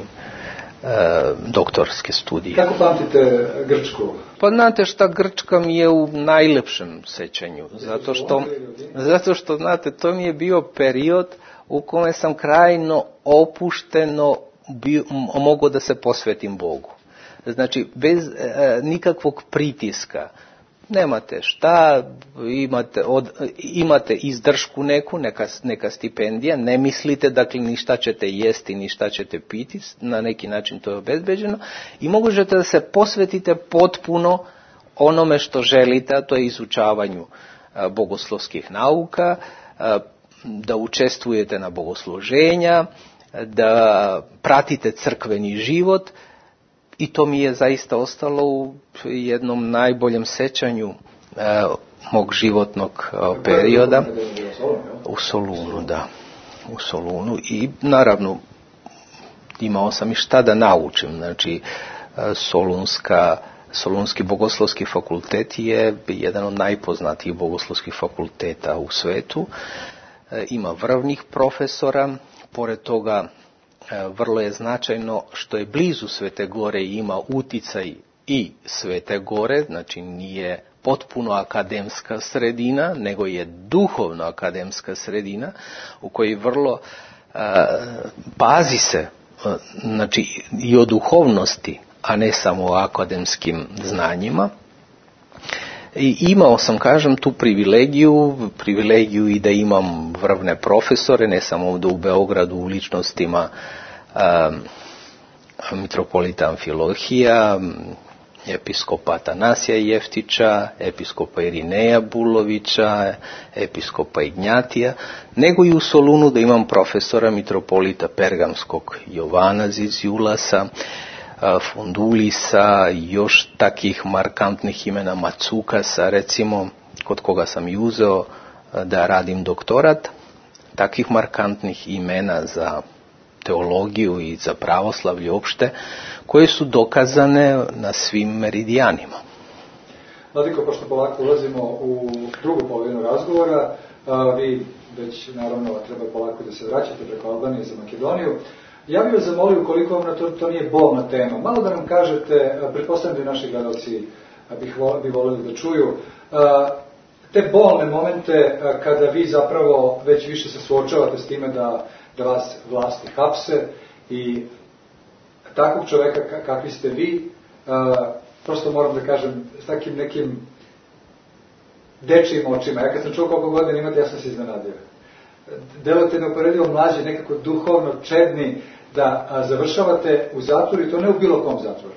doktorske studije. Kako pamtite Grčku? Pa znate šta, Grčka mi je u najlepšem sećanju, zato što znate, to mi je bio period u kome sam krajno opušteno mogao da se posvetim Bogu. Znači, bez nikakvog pritiska. Nemate šta, imate izdržku neku, neka stipendija, ne mislite dakle ni šta ćete jesti, ni šta ćete piti, na neki način to je obezbeđeno, i možete da se posvetite potpuno onome što želite, a to je izučavanju bogoslovskih nauka, da učestvujete na bogosluženja, da pratite crkveni život, i to mi je zaista ostalo u jednom najboljem sećanju mog životnog perioda. U Solunu, da. U Solunu, i naravno imao sam i šta da naučim. Znači, Solunski bogoslovski fakultet je jedan od najpoznatijih bogoslovskih fakulteta u svetu. Ima vrhovnih profesora, pored toga vrlo je značajno što je blizu Svete Gore i ima uticaj i Svete Gore, znači nije potpuno akademska sredina, nego je duhovno akademska sredina u kojoj vrlo pazi se, znači i o duhovnosti, a ne samo o akademskim znanjima. I imao sam, kažem, tu privilegiju i da imam vrhovne profesore, ne samo ovdje u Beogradu u ličnostima mitropolita Amfilohija, episkopa Atanasija Jeftića, episkopa Irineja Bulovića, episkopa Ignjatija, nego i u Solunu da imam profesora mitropolita Pergamskog Jovana Ziziulasa, Fundulisa, još takih markantnih imena, Macukasa recimo, kod koga sam i uzeo da radim doktorat, takvih markantnih imena za teologiju i za pravoslavlje uopšte, koje su dokazane na svim meridijanima. Vladiko, pošto polako ulazimo u drugu polovinu razgovora, vi već naravno treba polako da se vraćate preko Albanije za Makedoniju. Ja bih vas zamolio, ukoliko vam to nije bolna tema, malo da nam kažete, pretpostavljam da naši gledalci bi voljeli da čuju, te bolne momente kada vi zapravo već više se suočavate s time da vas vlasti hapse, i takvog čoveka kakvi ste vi, prosto moram da kažem, s takim nekim dečijim očima. Ja kad sam čuo koliko godina imate, ja sam se iznenadio. Delujete neuporedivo mlađi, nekako duhovno čedni, da završavate u zatvoru, i to ne u bilo kom zatvoru,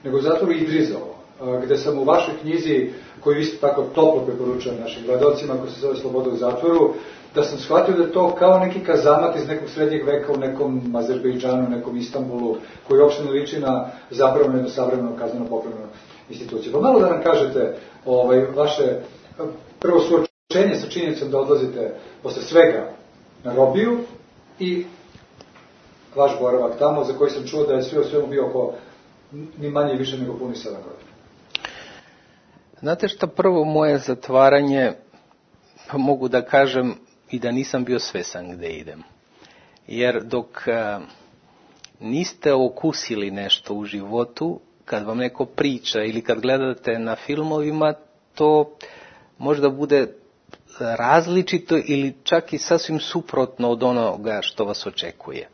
nego u zatvoru Idrizovo, gde sam u vašoj knjizi, koju isto tako toplo preporučujem našim gledalcima, koja se zove Sloboda u zatvoru, da sam shvatio da je to kao neki kazamat iz nekog srednjeg veka u nekom Azerbejdžanu, nekom Istanbulu, koji uopšte ne liči na zapravljeno jedno savremeno kazneno-popravljeno instituciju. Pa malo da nam kažete vaše prvo suočenje sa činjenicom da odlazite posle svega na robiju i vaš boravak tamo, za koji sam čuo da je sve o svemu bio oko ni manje i više nego puni 7 godina. Znate šta, prvo moje zatvaranje, pa mogu da kažem i da nisam bio svesan gde idem. Jer dok niste okusili nešto u životu, kad vam neko priča ili kad gledate na filmovima, to možda bude različito ili čak i sasvim suprotno od onoga što vas očekuje.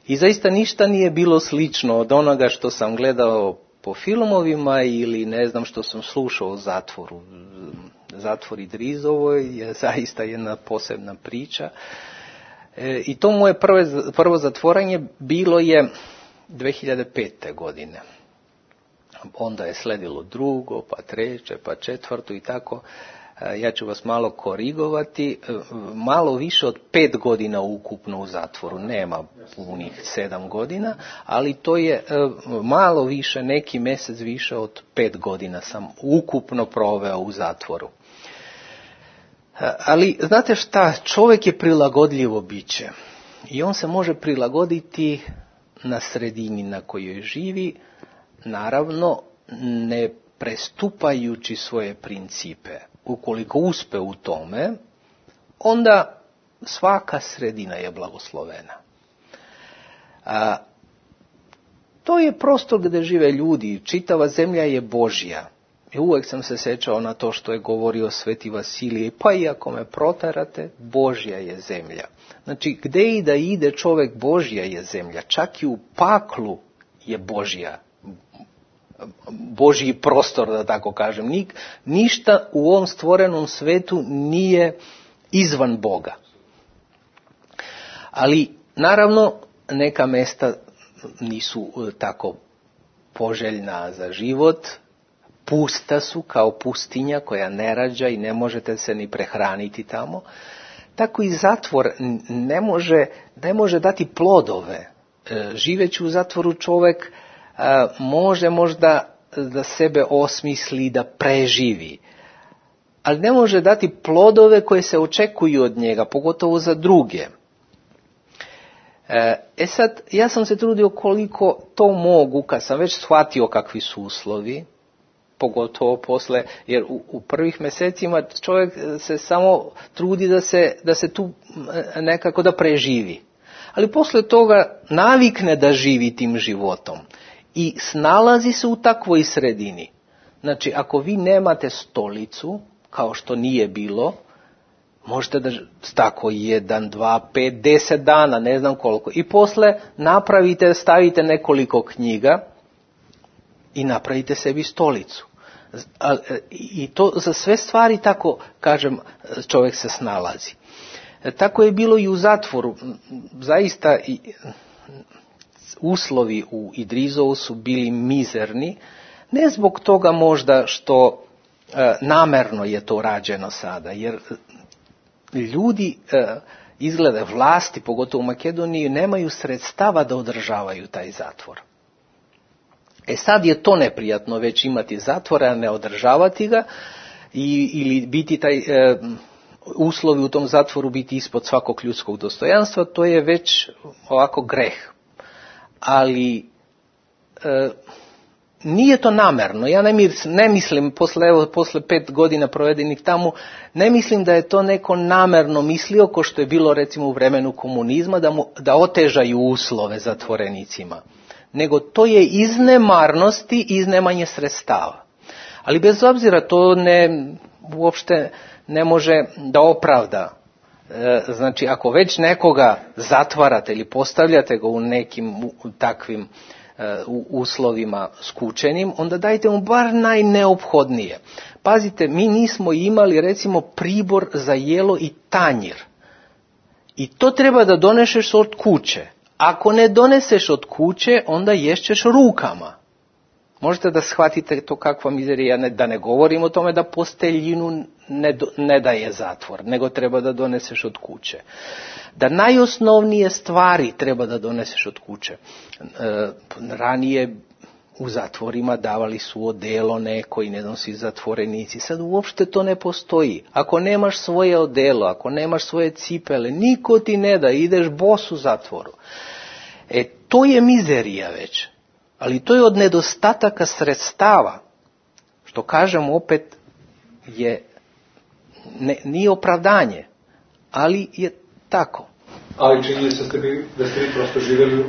I zaista ništa nije bilo slično od onoga što sam gledao po filmovima ili ne znam što sam slušao o zatvoru. Zatvor Idrizovoj je zaista jedna posebna priča. I to moje prvo zatvoranje bilo je 2005. godine. Onda je sledilo drugo, pa treće, pa četvrto i tako. Ja ću vas malo korigovati. Malo više od 5 godina ukupno u zatvoru. Nema punih 7 godina, ali to je malo više, neki mjesec više od 5 godina sam ukupno proveo u zatvoru. Ali znate šta, čovjek je prilagodljivo biće i on se može prilagoditi na sredini na kojoj živi, naravno ne prestupajući svoje principe. Ukoliko uspe u tome, onda svaka sredina je blagoslovena. To je prostor gdje žive ljudi, čitava zemlja je Božja. I uvijek sam se sjećao na to što je govorio Sveti Vasilije, pa i ako me proterate, Božja je zemlja. Znači, gdje i da ide čovjek, Božja je zemlja. Čak i u paklu je Božji prostor, da tako kažem. Ništa u ovom stvorenom svetu nije izvan Boga. Ali, naravno, neka mjesta nisu tako poželjna za život, pusta su kao pustinja koja ne rađa i ne možete se ni prehraniti tamo. Tako i zatvor ne može dati plodove. Živeći u zatvoru čovjek može možda da sebe osmisli, da preživi, ali ne može dati plodove koje se očekuju od njega, pogotovo za druge. Sad, ja sam se trudio koliko to mogu, kad sam već shvatio kakvi su uslovi, pogotovo posle, jer u prvih mjesecima čovjek se samo trudi da se tu nekako da preživi. Ali posle toga navikne da živi tim životom i snalazi se u takvoj sredini. Znači, ako vi nemate stolicu, kao što nije bilo, možete da tako 1, 2, 5, 10 dana, ne znam koliko. I posle stavite nekoliko knjiga i napravite sebi stolicu. I to za sve stvari, tako kažem, čovjek se snalazi. Tako je bilo i u zatvoru. Zaista uslovi u Idrizovu su bili mizerni, ne zbog toga možda što namerno je to rađeno sada, jer ljudi izgleda vlasti, pogotovo u Makedoniji, nemaju sredstava da održavaju taj zatvor. Sad je to neprijatno već imati zatvore, a ne održavati ga ili biti taj uslovi u tom zatvoru biti ispod svakog ljudskog dostojanstva, to je već ovako greh. Ali nije to namerno. Ja ne mislim, posle 5 godina provedenih tamo, ne mislim da je to neko namerno mislio, ko što je bilo recimo u vremenu komunizma, da otežaju uslove zatvorenicima. Nego to je iz nemarnosti i iz nemanje sredstava. Ali bez obzira to uopšte ne može da opravda. Znači, ako već nekoga zatvarate ili postavljate ga u nekim takvim uslovima skučenim, onda dajte mu bar najneophodnije. Pazite, mi nismo imali recimo pribor za jelo i tanjir. I to treba da doneseš od kuće. Ako ne doneseš od kuće, onda ješćeš rukama. Možete da shvatite to kakva mizerija, da ne govorim o tome da posteljinu ne daje zatvor, nego treba da doneseš od kuće. Da najosnovnije stvari treba da doneseš od kuće. Ranije u zatvorima davali su odelo neko i ne nosi zatvorenici. Sad uopšte to ne postoji. Ako nemaš svoje odelo, ako nemaš svoje cipele, niko ti ne da, ideš bos u zatvoru. To je mizerija već. Ali to je od nedostataka sredstava. Što kažem opet nije opravdanje, ali je tako. Ali čini se da ste vi prosto živjeli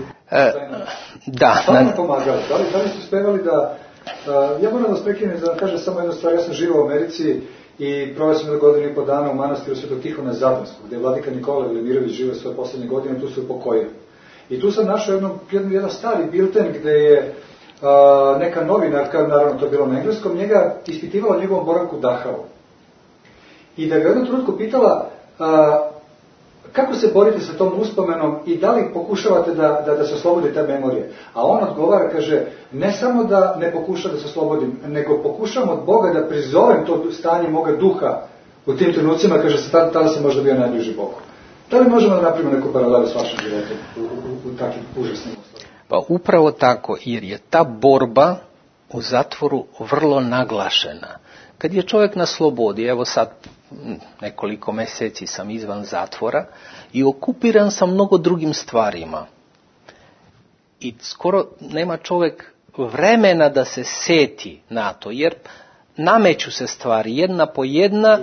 da. Šta vam pomagali? Da li ste uspevali da... ja moram da vas prekinem da kažem samo jednu stvar. Ja sam živao u Americi i proveo sam 1.5 godina u manastiru Svetog Tihona Zadarskog, gdje je vladika Nikola Velimirović živio svoje posljednje godine, tu se upokojio. I tu sam našao jedan stari bilten gdje je neka novinarka, naravno to je bilo na engleskom, njega ispitivala njegovom boravku u Dachau. I da ga jednom trenutku pitala kako se borite sa tom uspomenom i da li pokušavate da se oslobodi te memorije. A on odgovara, kaže, ne samo da ne pokušam da se oslobodim, nego pokušam od Boga da prizovem to stanje moga duha u tim trenucima, kaže, tada sam možda bio najbliži Bogu. Da li možemo da napravimo neku paralelu s vašim životom u takvim užasnim uslovima? Pa upravo tako, jer je ta borba u zatvoru vrlo naglašena. Kad je čovjek na slobodi, evo sad nekoliko mjeseci sam izvan zatvora i okupiran sam mnogo drugim stvarima. I skoro nema čovjek vremena da se seti na to, jer nameću se stvari jedna po jedna,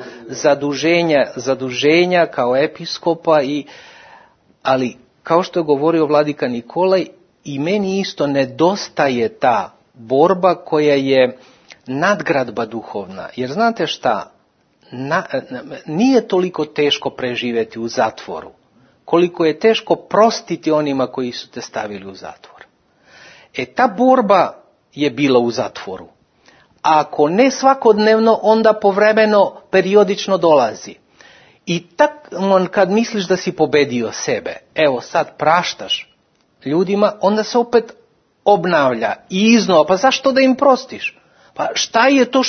zaduženja kao episkopa, ali kao što je govorio vladika Nikolaj, i meni isto nedostaje ta borba koja je nadgradba duhovna. Jer znate šta, nije toliko teško preživjeti u zatvoru, koliko je teško prostiti onima koji su te stavili u zatvor. Ta borba je bila u zatvoru. Ako ne svakodnevno, onda povremeno, periodično dolazi. I kad misliš da si pobedio sebe, evo sad praštaš ljudima, onda se opet obnavlja i iznova. Pa zašto da im prostiš? Pa šta je to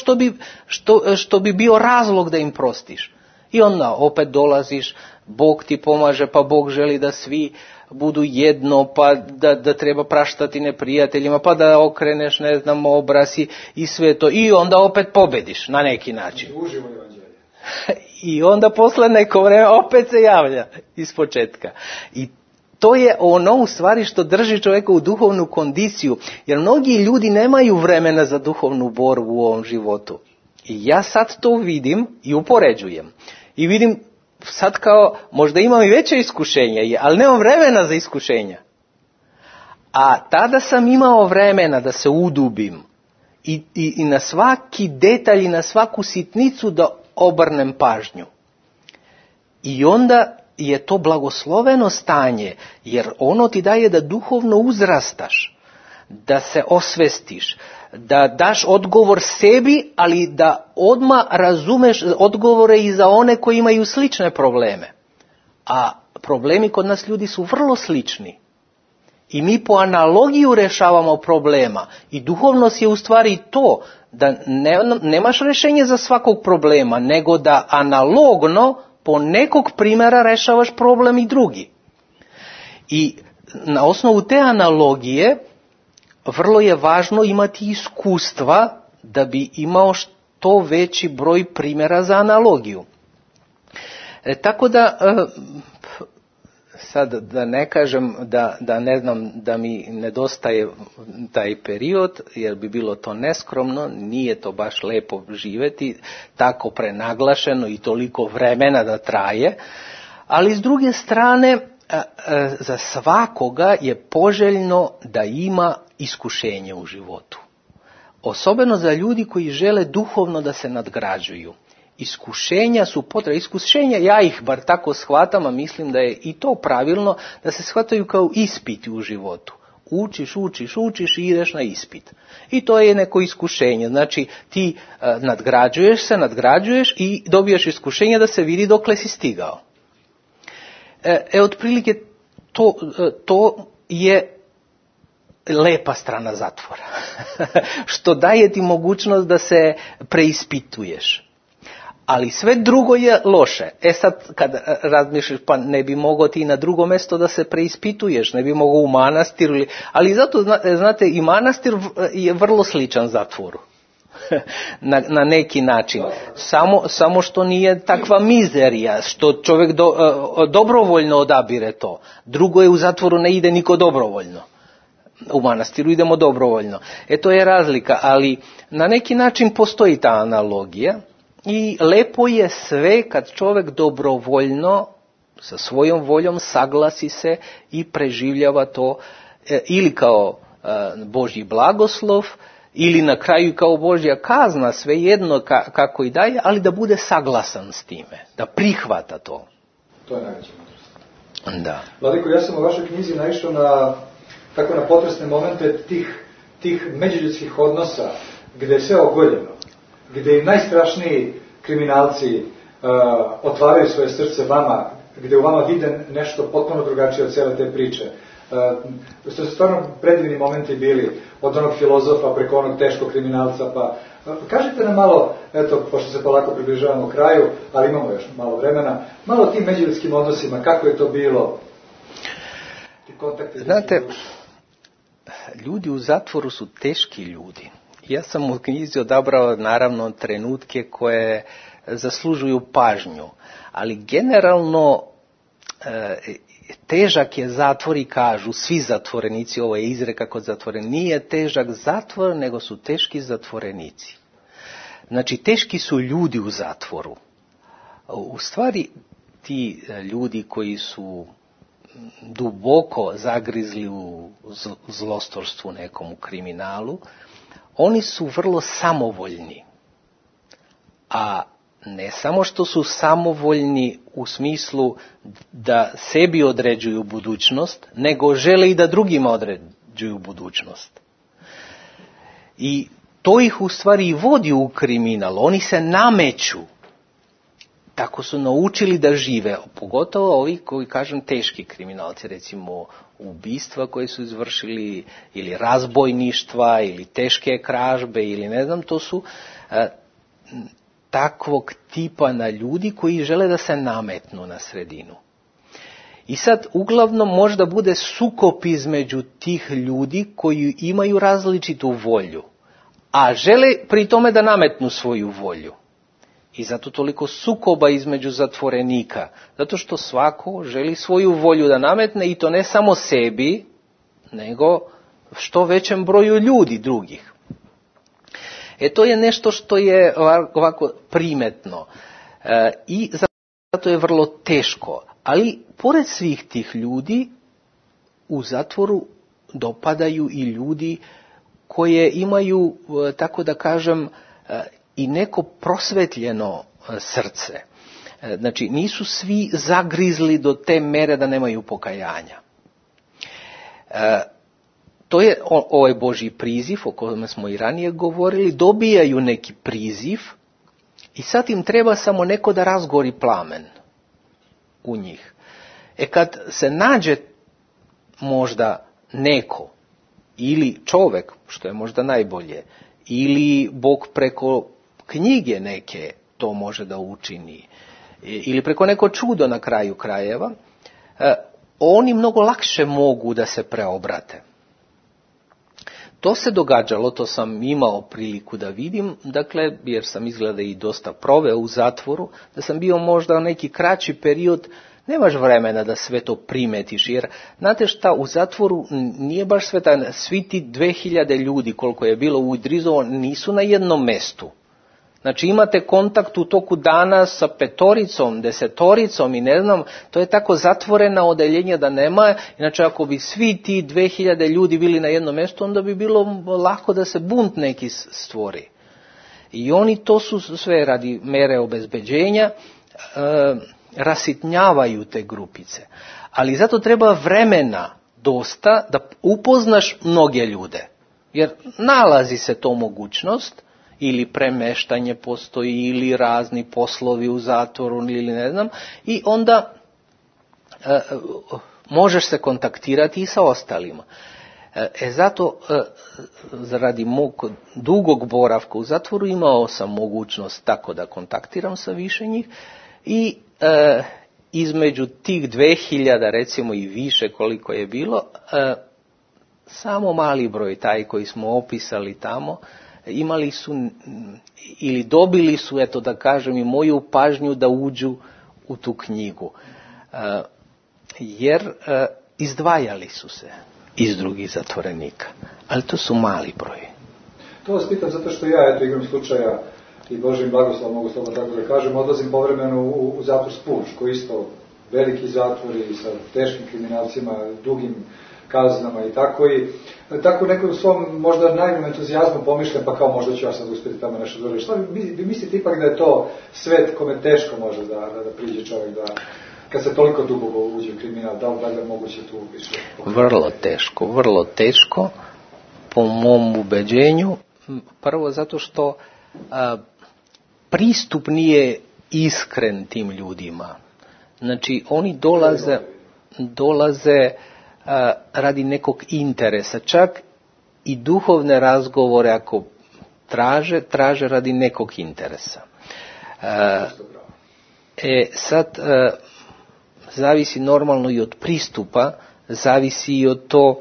što bi bio razlog da im prostiš? I onda opet dolaziš, Bog ti pomaže, pa Bog želi da svi budu jedno, pa da treba praštati neprijateljima, pa da okreneš, ne znam, obraz i sve to. I onda opet pobediš na neki način. I onda posle neko vreme opet se javlja iz početka. I to je ono u stvari što drži čovjeka u duhovnu kondiciju, jer mnogi ljudi nemaju vremena za duhovnu borbu u ovom životu. I ja sad to vidim i upoređujem. I vidim sad kao, možda imam i veće iskušenje, ali nemam vremena za iskušenja. A tada sam imao vremena da se udubim i na svaki detalj i na svaku sitnicu da obrnem pažnju. I onda je to blagosloveno stanje, jer ono ti daje da duhovno uzrastaš, da se osvestiš, da daš odgovor sebi, ali da odmah razumeš odgovore i za one koji imaju slične probleme. A problemi kod nas ljudi su vrlo slični. I mi po analogiju rešavamo problema. I duhovnost je u stvari to, da nemaš rješenje za svakog problema, nego da analogno po nekog primjera rešavaš problem i drugi. I na osnovu te analogije vrlo je važno imati iskustva da bi imao što veći broj primjera za analogiju. Tako da, sad da ne kažem da ne znam da mi nedostaje taj period, jer bi bilo to neskromno, nije to baš lepo živjeti, tako prenaglašeno i toliko vremena da traje, ali s druge strane, za svakoga je poželjno da ima iskušenje u životu. Osobeno za ljudi koji žele duhovno da se nadgrađuju. Iskušenja su potrebna. Iskušenja, ja ih bar tako shvatam, a mislim da je i to pravilno, da se shvataju kao ispiti u životu. Učiš i ideš na ispit. I to je neko iskušenje. Znači ti nadgrađuješ i dobiješ iskušenje da se vidi dokle si stigao. Otprilike to je lepa strana zatvora. Što daje ti mogućnost da se preispituješ. Ali sve drugo je loše. Sad, kad razmišljaš, pa ne bi mogao ti na drugo mjesto da se preispituješ, ne bi mogao u manastiru, ali zato, znate, i manastir je vrlo sličan zatvoru. na neki način. Samo što nije takva mizerija, što čovjek dobrovoljno odabire to. Drugo je, u zatvoru ne ide niko dobrovoljno. U manastiru idemo dobrovoljno. To je razlika, ali na neki način postoji ta analogija i lepo je sve kad čovjek dobrovoljno sa svojom voljom saglasi se i preživljava to ili kao Božji blagoslov, ili na kraju kao Božja kazna, svejedno kako i daje, ali da bude saglasan s time, da prihvata to. To je najveća mudrost. Da. Vladiko, ja sam u vašoj knjizi naišao na potresne momente tih međuljudskih odnosa, gdje je sve ogoljeno, gdje i najstrašniji kriminalci otvaraju svoje srce vama, gdje u vama vide nešto potpuno drugačije od cijele te priče. Što su stvarno predivni momenti bili, od onog filozofa preko onog teškog kriminalca, pa kažite nam malo, eto, pošto se polako približavamo kraju, ali imamo još malo vremena, malo o tim međuljudskim odnosima, kako je to bilo? Znate, ljudi u zatvoru su teški ljudi. Ja sam u knjizi odabrao naravno trenutke koje zaslužuju pažnju, ali generalno težak je zatvor i kažu svi zatvorenici, ovo je izreka kod zatvorenika, nije težak zatvor, nego su teški zatvorenici. Znači, teški su ljudi u zatvoru. U stvari, ti ljudi koji su duboko zagrizli u zlostorstvu nekom, u kriminalu, oni su vrlo samovoljni. A ne samo što su samovoljni u smislu da sebi određuju budućnost, nego žele i da drugima određuju budućnost. I to ih u stvari vodi u kriminal. Oni se nameću. Tako su naučili da žive. Pogotovo ovi koji, kažem, teški kriminalci, recimo ubistva koje su izvršili, ili razbojništva, ili teške krađe, ili ne znam, to su takvog tipa na ljudi koji žele da se nametnu na sredinu. I sad uglavnom možda bude sukob između tih ljudi koji imaju različitu volju, a žele pri tome da nametnu svoju volju. I zato toliko sukoba između zatvorenika, zato što svako želi svoju volju da nametne, i to ne samo sebi, nego što većem broju ljudi drugih. To je nešto što je ovako primetno i zato je vrlo teško. Ali pored svih tih ljudi u zatvoru dopadaju i ljudi koje imaju, tako da kažem, i neko prosvetljeno srce. Znači, nisu svi zagrizli do te mere da nemaju pokajanja. To je ovaj Božji priziv, o kojem smo i ranije govorili, dobijaju neki priziv i sad im treba samo neko da razgori plamen u njih. Kad se nađe možda neko, ili čovjek, što je možda najbolje, ili Bog preko knjige neke to može da učini, ili preko neko čudo na kraju krajeva, oni mnogo lakše mogu da se preobrate. To se događalo, to sam imao priliku da vidim, dakle, jer sam izgleda i dosta proveo u zatvoru, da sam bio možda neki kraći period, nemaš vremena da sve to primetiš, jer znate šta, u zatvoru nije baš sve svi ti 2000 ljudi koliko je bilo u Idrizovu nisu na jednom mestu. Znači imate kontakt u toku dana sa 5, 10 i ne znam, to je tako zatvorena odeljenja da nema, inače ako bi svi ti 2000 ljudi bili na jednom mjestu, onda bi bilo lako da se bunt neki stvori. I oni to su sve radi mere obezbeđenja, rasitnjavaju te grupice. Ali zato treba vremena dosta da upoznaš mnoge ljude, jer nalazi se to mogućnost, ili premeštanje postoji, ili razni poslovi u zatvoru, ili ne znam, i onda možeš se kontaktirati i sa ostalima. Zato, radi mog dugog boravka u zatvoru, imao sam mogućnost tako da kontaktiram sa više njih i između tih 2000, recimo i više koliko je bilo, samo mali broj, taj koji smo opisali tamo, imali su ili dobili su, eto da kažem, i moju pažnju da uđu u tu knjigu. Jer izdvajali su se iz drugih zatvorenika. Ali to su mali broji. To vas pitam zato što ja, eto, igram slučaja i Božim blagoslovom, mogu slobodno tako da kažem, odlazim povremeno u zatvor Spuž, koji isto veliki zatvori sa teškim kriminalcima, dugim kaznama i tako. I tako neko u svom možda najvom entuzijazmu pomišljam, pa kao možda ću ja sad uspjeti tamo nešto dobro. Šta vi mislite ipak da je to svet kome teško može da priđe čovjek, da kad se toliko duboko uđe u kriminal, da li je moguće tu više? Vrlo teško, po mom ubeđenju. Prvo zato što pristup nije iskren tim ljudima. Znači, oni dolaze radi nekog interesa. Čak i duhovne razgovore, ako traže radi nekog interesa. Sad, zavisi normalno i od pristupa, zavisi i od to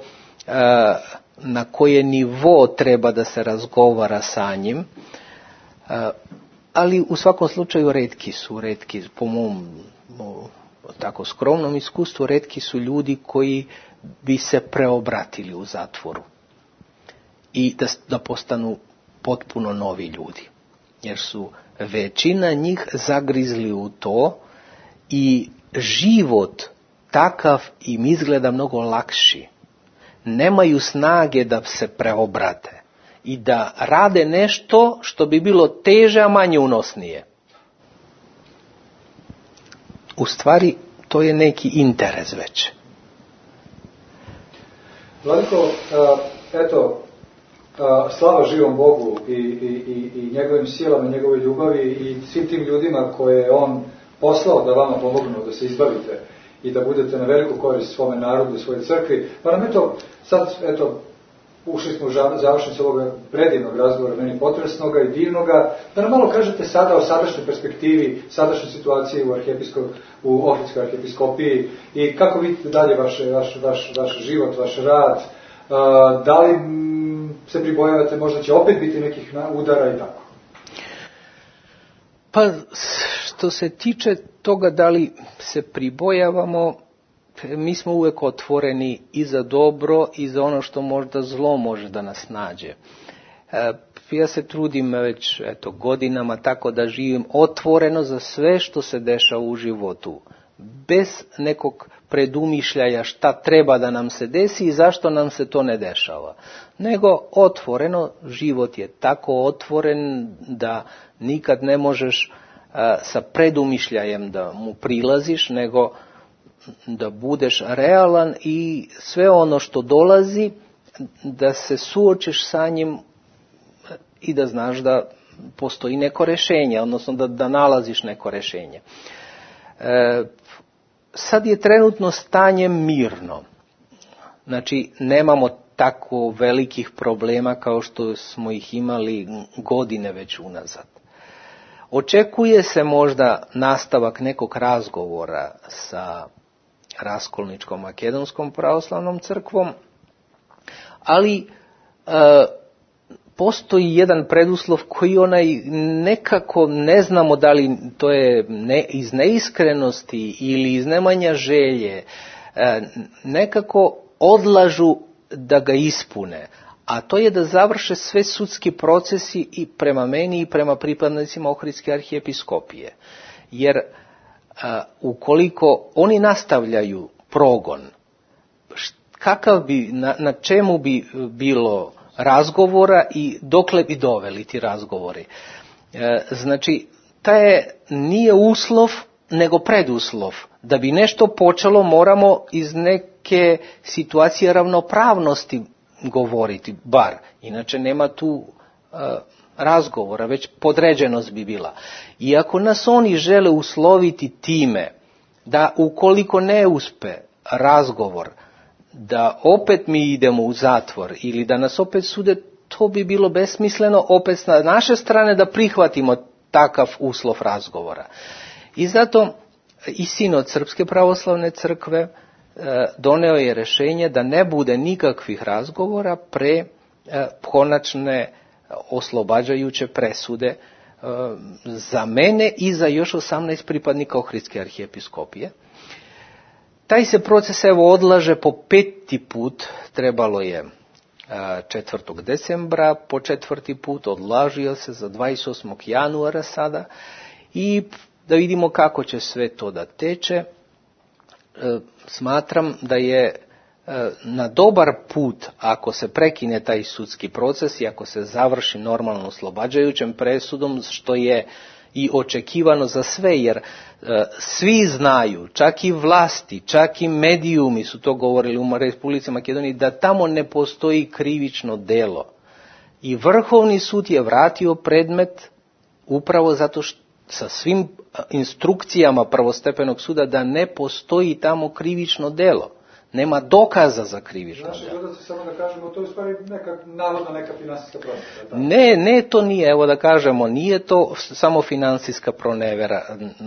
na koje nivo treba da se razgovara sa njim, ali u svakom slučaju retki su, po mom tako skromnom iskustvu, retki su ljudi koji bi se preobratili u zatvoru i da postanu potpuno novi ljudi, jer su većina njih zagrizli u to i život takav im izgleda mnogo lakši. Nemaju snage da se preobrate i da rade nešto što bi bilo teže, a manje unosnije. U stvari, to je neki interes već. Vladiko, eto, slava živom Bogu i njegovim silama, njegovoj ljubavi i svim tim ljudima koje je on poslao da vama pomognu, da se izbavite i da budete na veliku korist svome narodu i svojoj crkvi. Pa nam sad, ušli smo u završnicu ovoga predivnog razgovora, meni potresnoga i divnoga, da nam malo kažete sada o sadašnjoj perspektivi, sadašnjoj situaciji u Ohridskoj arhijepiskopiji i kako vidite dalje vaš život, vaš rad, da li se pribojavate, možda će opet biti nekih udara i tako? Pa, što se tiče toga da li se pribojavamo, mi smo uvijek otvoreni i za dobro i za ono što možda zlo može da nas nađe. Ja se trudim već godinama tako da živim otvoreno za sve što se dešava u životu, bez nekog predumišljaja šta treba da nam se desi i zašto nam se to ne dešava. Nego otvoreno, život je tako otvoren da nikad ne možeš sa predumišljajem da mu prilaziš, nego da budeš realan i sve ono što dolazi, da se suočiš sa njim i da znaš da postoji neko rješenje, odnosno da nalaziš neko rješenje. Sad je trenutno stanje mirno. Znači, nemamo tako velikih problema kao što smo ih imali godine već unazad. Očekuje se možda nastavak nekog razgovora sa Raskolničkom makedonskom pravoslavnom crkvom, ali postoji jedan preduslov koji nekako ne znamo da li to je iz neiskrenosti ili iz nemanja želje, nekako odlažu da ga ispune, a to je da završe sve sudski procesi i prema meni i prema pripadnicima Ohridske arhijepiskopije. Jer ukoliko oni nastavljaju progon, na čemu bi bilo razgovora i dokle bi doveli ti razgovori? Znači, nije uslov, nego preduslov. Da bi nešto počelo, moramo iz neke situacije ravnopravnosti govoriti, bar. Inače nema tu razgovora, već podređenost bi bila. I ako nas oni žele usloviti time da ukoliko ne uspe razgovor, da opet mi idemo u zatvor ili da nas opet sude, to bi bilo besmisleno opet na naše strane da prihvatimo takav uslov razgovora. I zato i sinod Srpske pravoslavne crkve doneo je rješenje da ne bude nikakvih razgovora pre konačne oslobađajuće presude za mene i za još 18 pripadnika Ohridske arhijepiskopije. Taj se proces odlaže po 5. put, trebalo je 4. decembra, po 4. put odlažio se za 28. januara sada i da vidimo kako će sve to da teče. Smatram da je na dobar put ako se prekine taj sudski proces i ako se završi normalno oslobađajućem presudom, što je i očekivano za sve, jer svi znaju, čak i vlasti, čak i medijumi su to govorili u Republici Makedoniji, da tamo ne postoji krivično delo. I Vrhovni sud je vratio predmet upravo zato što sa svim instrukcijama prvostepenog suda da ne postoji tamo krivično delo. Nema dokaza za krivično delo. Naši gledalci, samo da kažemo, to je u stvari navodno neka finansijska pronevera. Ne, to nije, evo da kažemo, nije to samo finansijska pronevera.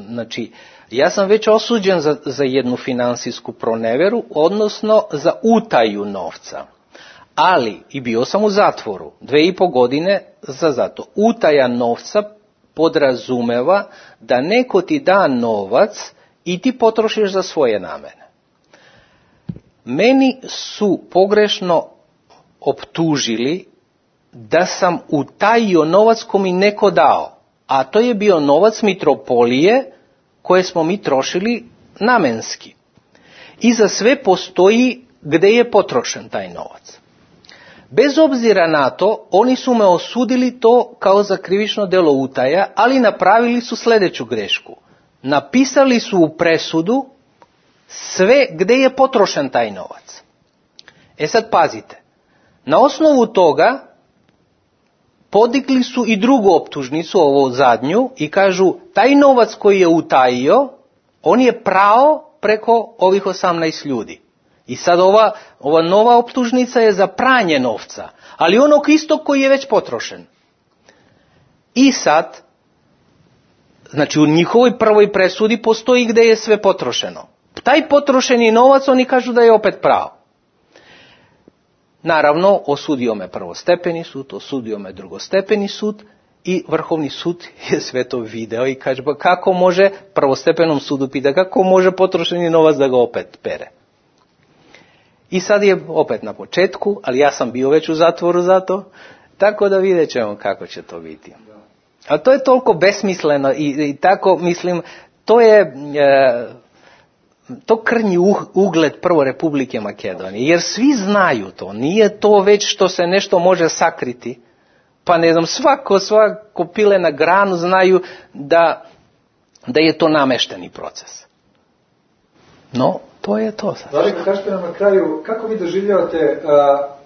Znači, ja sam već osuđen za jednu finansijsku proneveru, odnosno za utaju novca. Ali, i bio sam u zatvoru, 2,5 godine za zato. Utaja novca podrazumeva da neko ti da novac i ti potrošiš za svoje namene. Meni su pogrešno optužili da sam utajio novac ko mi neko dao, a to je bio novac mitropolije koje smo mi trošili namenski. I za sve postoji gde je potrošen taj novac. Bez obzira na to, oni su me osudili to kao za krivično delo utaja, ali napravili su sljedeću grešku. Napisali su u presudu sve gde je potrošen taj novac. Sad pazite, na osnovu toga podigli su i drugu optužnicu, ovu zadnju, i kažu taj novac koji je utajio, on je prao preko ovih 18 ljudi. I sad ova nova optužnica je za pranje novca, ali onog istog koji je već potrošen. I sad, znači u njihovoj prvoj presudi postoji gde je sve potrošeno. Taj potrošeni novac oni kažu da je opet pravo. Naravno, osudio me prvostepeni sud, osudio me drugostepeni sud i Vrhovni sud je sve to video i kaže, pa kako može, prvostepenom sudu pita, kako može potrošeni novac da ga opet pere. I sad je opet na početku, ali ja sam bio već u zatvoru za to, tako da vidjet ćemo kako će to biti. A to je toliko besmisleno i tako, mislim, to krnji ugled prvo Republike Makedonije, jer svi znaju to, nije to već što se nešto može sakriti, pa ne znam, svako pile na granu znaju da je to namešteni proces. No, to je to sad. Vladiko, kažete nam na kraju, kako vi doživljavate,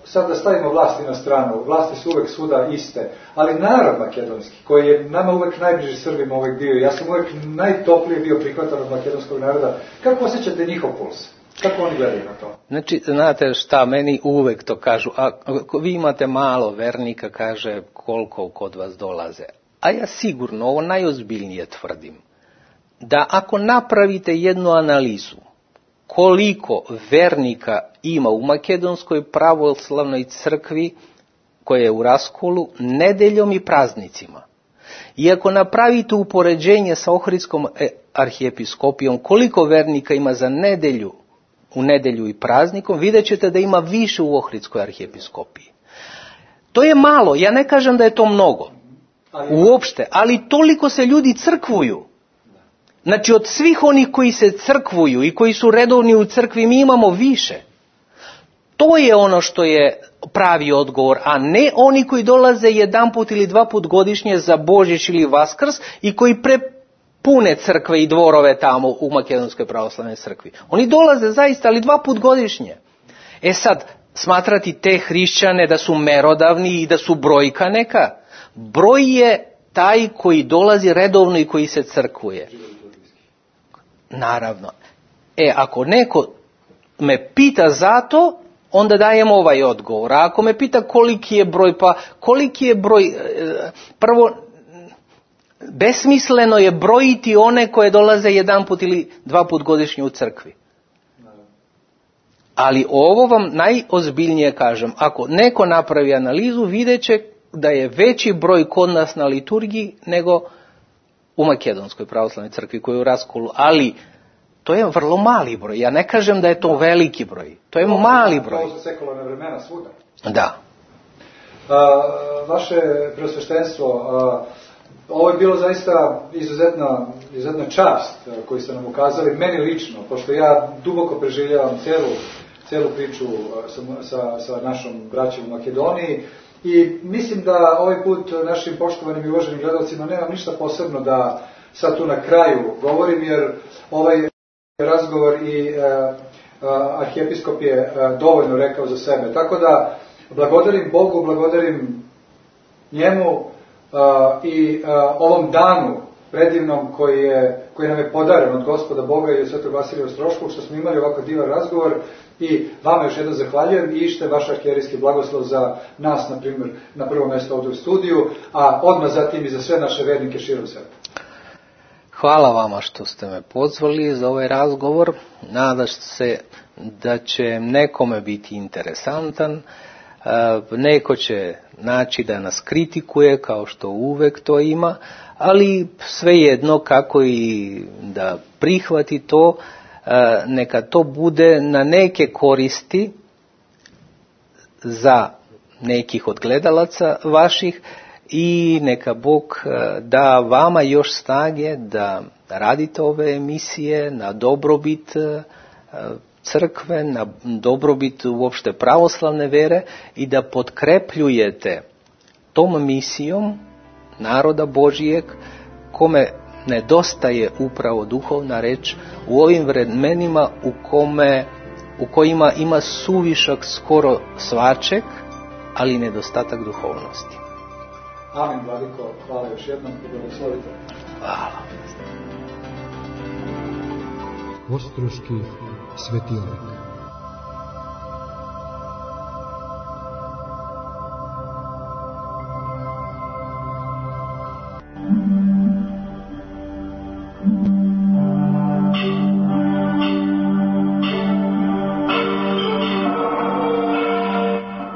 sad da stavimo vlasti na stranu, vlasti su uvek svuda iste, ali narod makedonski, koji je nama uvek najbliži Srbima uvek bio, ja sam uvek najtoplije bio prihvatan od makedonskog naroda, kako osjećate njihov puls? Kako oni gledaju na to? Znači, znate šta, meni uvek to kažu, ako vi imate malo vernika, kaže koliko kod vas dolaze. A ja sigurno, ovo najozbiljnije tvrdim, da ako napravite jednu analizu, koliko vernika ima u Makedonskoj pravoslavnoj crkvi koja je u raskolu nedeljom i praznicima. I ako napravite upoređenje sa Ohridskom arhijepiskopijom, koliko vernika ima za u nedelju i praznikom, vidjet ćete da ima više u Ohridskoj arhijepiskopiji. To je malo, ja ne kažem da je to mnogo, uopšte, ali toliko se ljudi crkvuju. Znači, od svih onih koji se crkvuju i koji su redovni u crkvi, mi imamo više. To je ono što je pravi odgovor, a ne oni koji dolaze 1 put ili 2 put godišnje za Božić ili Vaskrs i koji prepune crkve i dvorove tamo u Makedonskoj pravoslavnoj crkvi. Oni dolaze zaista, ali 2 put godišnje. Sad, smatrati te hrišćane da su merodavni i da su brojka neka, broj je taj koji dolazi redovno i koji se crkvuje. Naravno. Ako neko me pita zato, onda dajem ovaj odgovor. A ako me pita koliki je broj, pa koliki je broj, prvo, besmisleno je brojiti one koje dolaze 1 put ili 2 put godišnje u crkvi. Ali ovo vam najozbiljnije kažem. Ako neko napravi analizu, vidjet će da je veći broj kod nas na liturgiji nego u Makedonskoj pravoslavnoj crkvi koja je u raskolu. Ali to je vrlo mali broj. Ja ne kažem da je to veliki broj. To je mali broj. To su sekularne vremena svuda. Da. Vaše preosveštenstvo, ovo je bilo zaista izuzetna čast koju ste nam ukazali, meni lično, pošto ja duboko preživljavam celu priču sa našom braćom u Makedoniji i mislim da ovaj put našim poštovanim i uvaženim gledalcima nemam ništa posebno da sad tu na kraju govorim, jer ovaj razgovor i arhijepiskop je dovoljno rekao za sebe. Tako da blagodarim Bogu, blagodarim njemu i ovom danu predivnom koji nam je podaren od Gospoda Boga i od Svetog Vasilija Ostroškog, što smo imali ovako divan razgovor i vama još jednom zahvaljujem i ište vaš arhijerijski blagoslov za nas, na primjer, na prvo mjesto ovdje u studiju, a odmah zatim i za sve naše vernike širom sveta. Hvala vama što ste me pozvali za ovaj razgovor. Nadam se da će nekome biti interesantan. Neko će naći da nas kritikuje, kao što uvek to ima, ali svejedno kako i da prihvati to, neka to bude na neke koristi za nekih od gledalaca vaših i neka Bog da vama još snage da radite ove emisije na dobrobit crkve, na dobrobit uopšte pravoslavne vere i da potkrepljujete tom misijom naroda Božijeg kome nedostaje upravo duhovna reč u ovim vremenima u kojima ima suvišak skoro svačeg, ali nedostatak duhovnosti. Amin, Vladiko, hvala još jednom i blagoslovite. Hvala. Ostroški svetionik.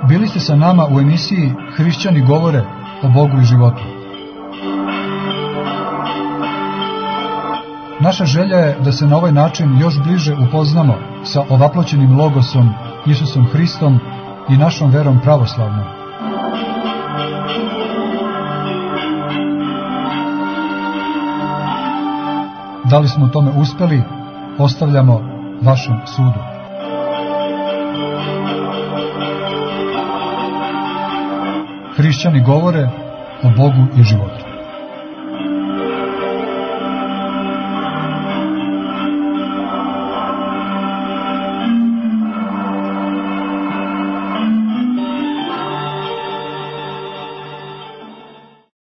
Bili ste sa nama u emisiji Hrišćani govore o Bogu i životu. Naša želja je da se na ovaj način još bliže upoznamo sa ovaploćenim logosom Isusom Hristom i našom verom pravoslavnom. Da li smo u tome uspeli, ostavljamo vašem sudu. Hrišćani govore o Bogu i životu.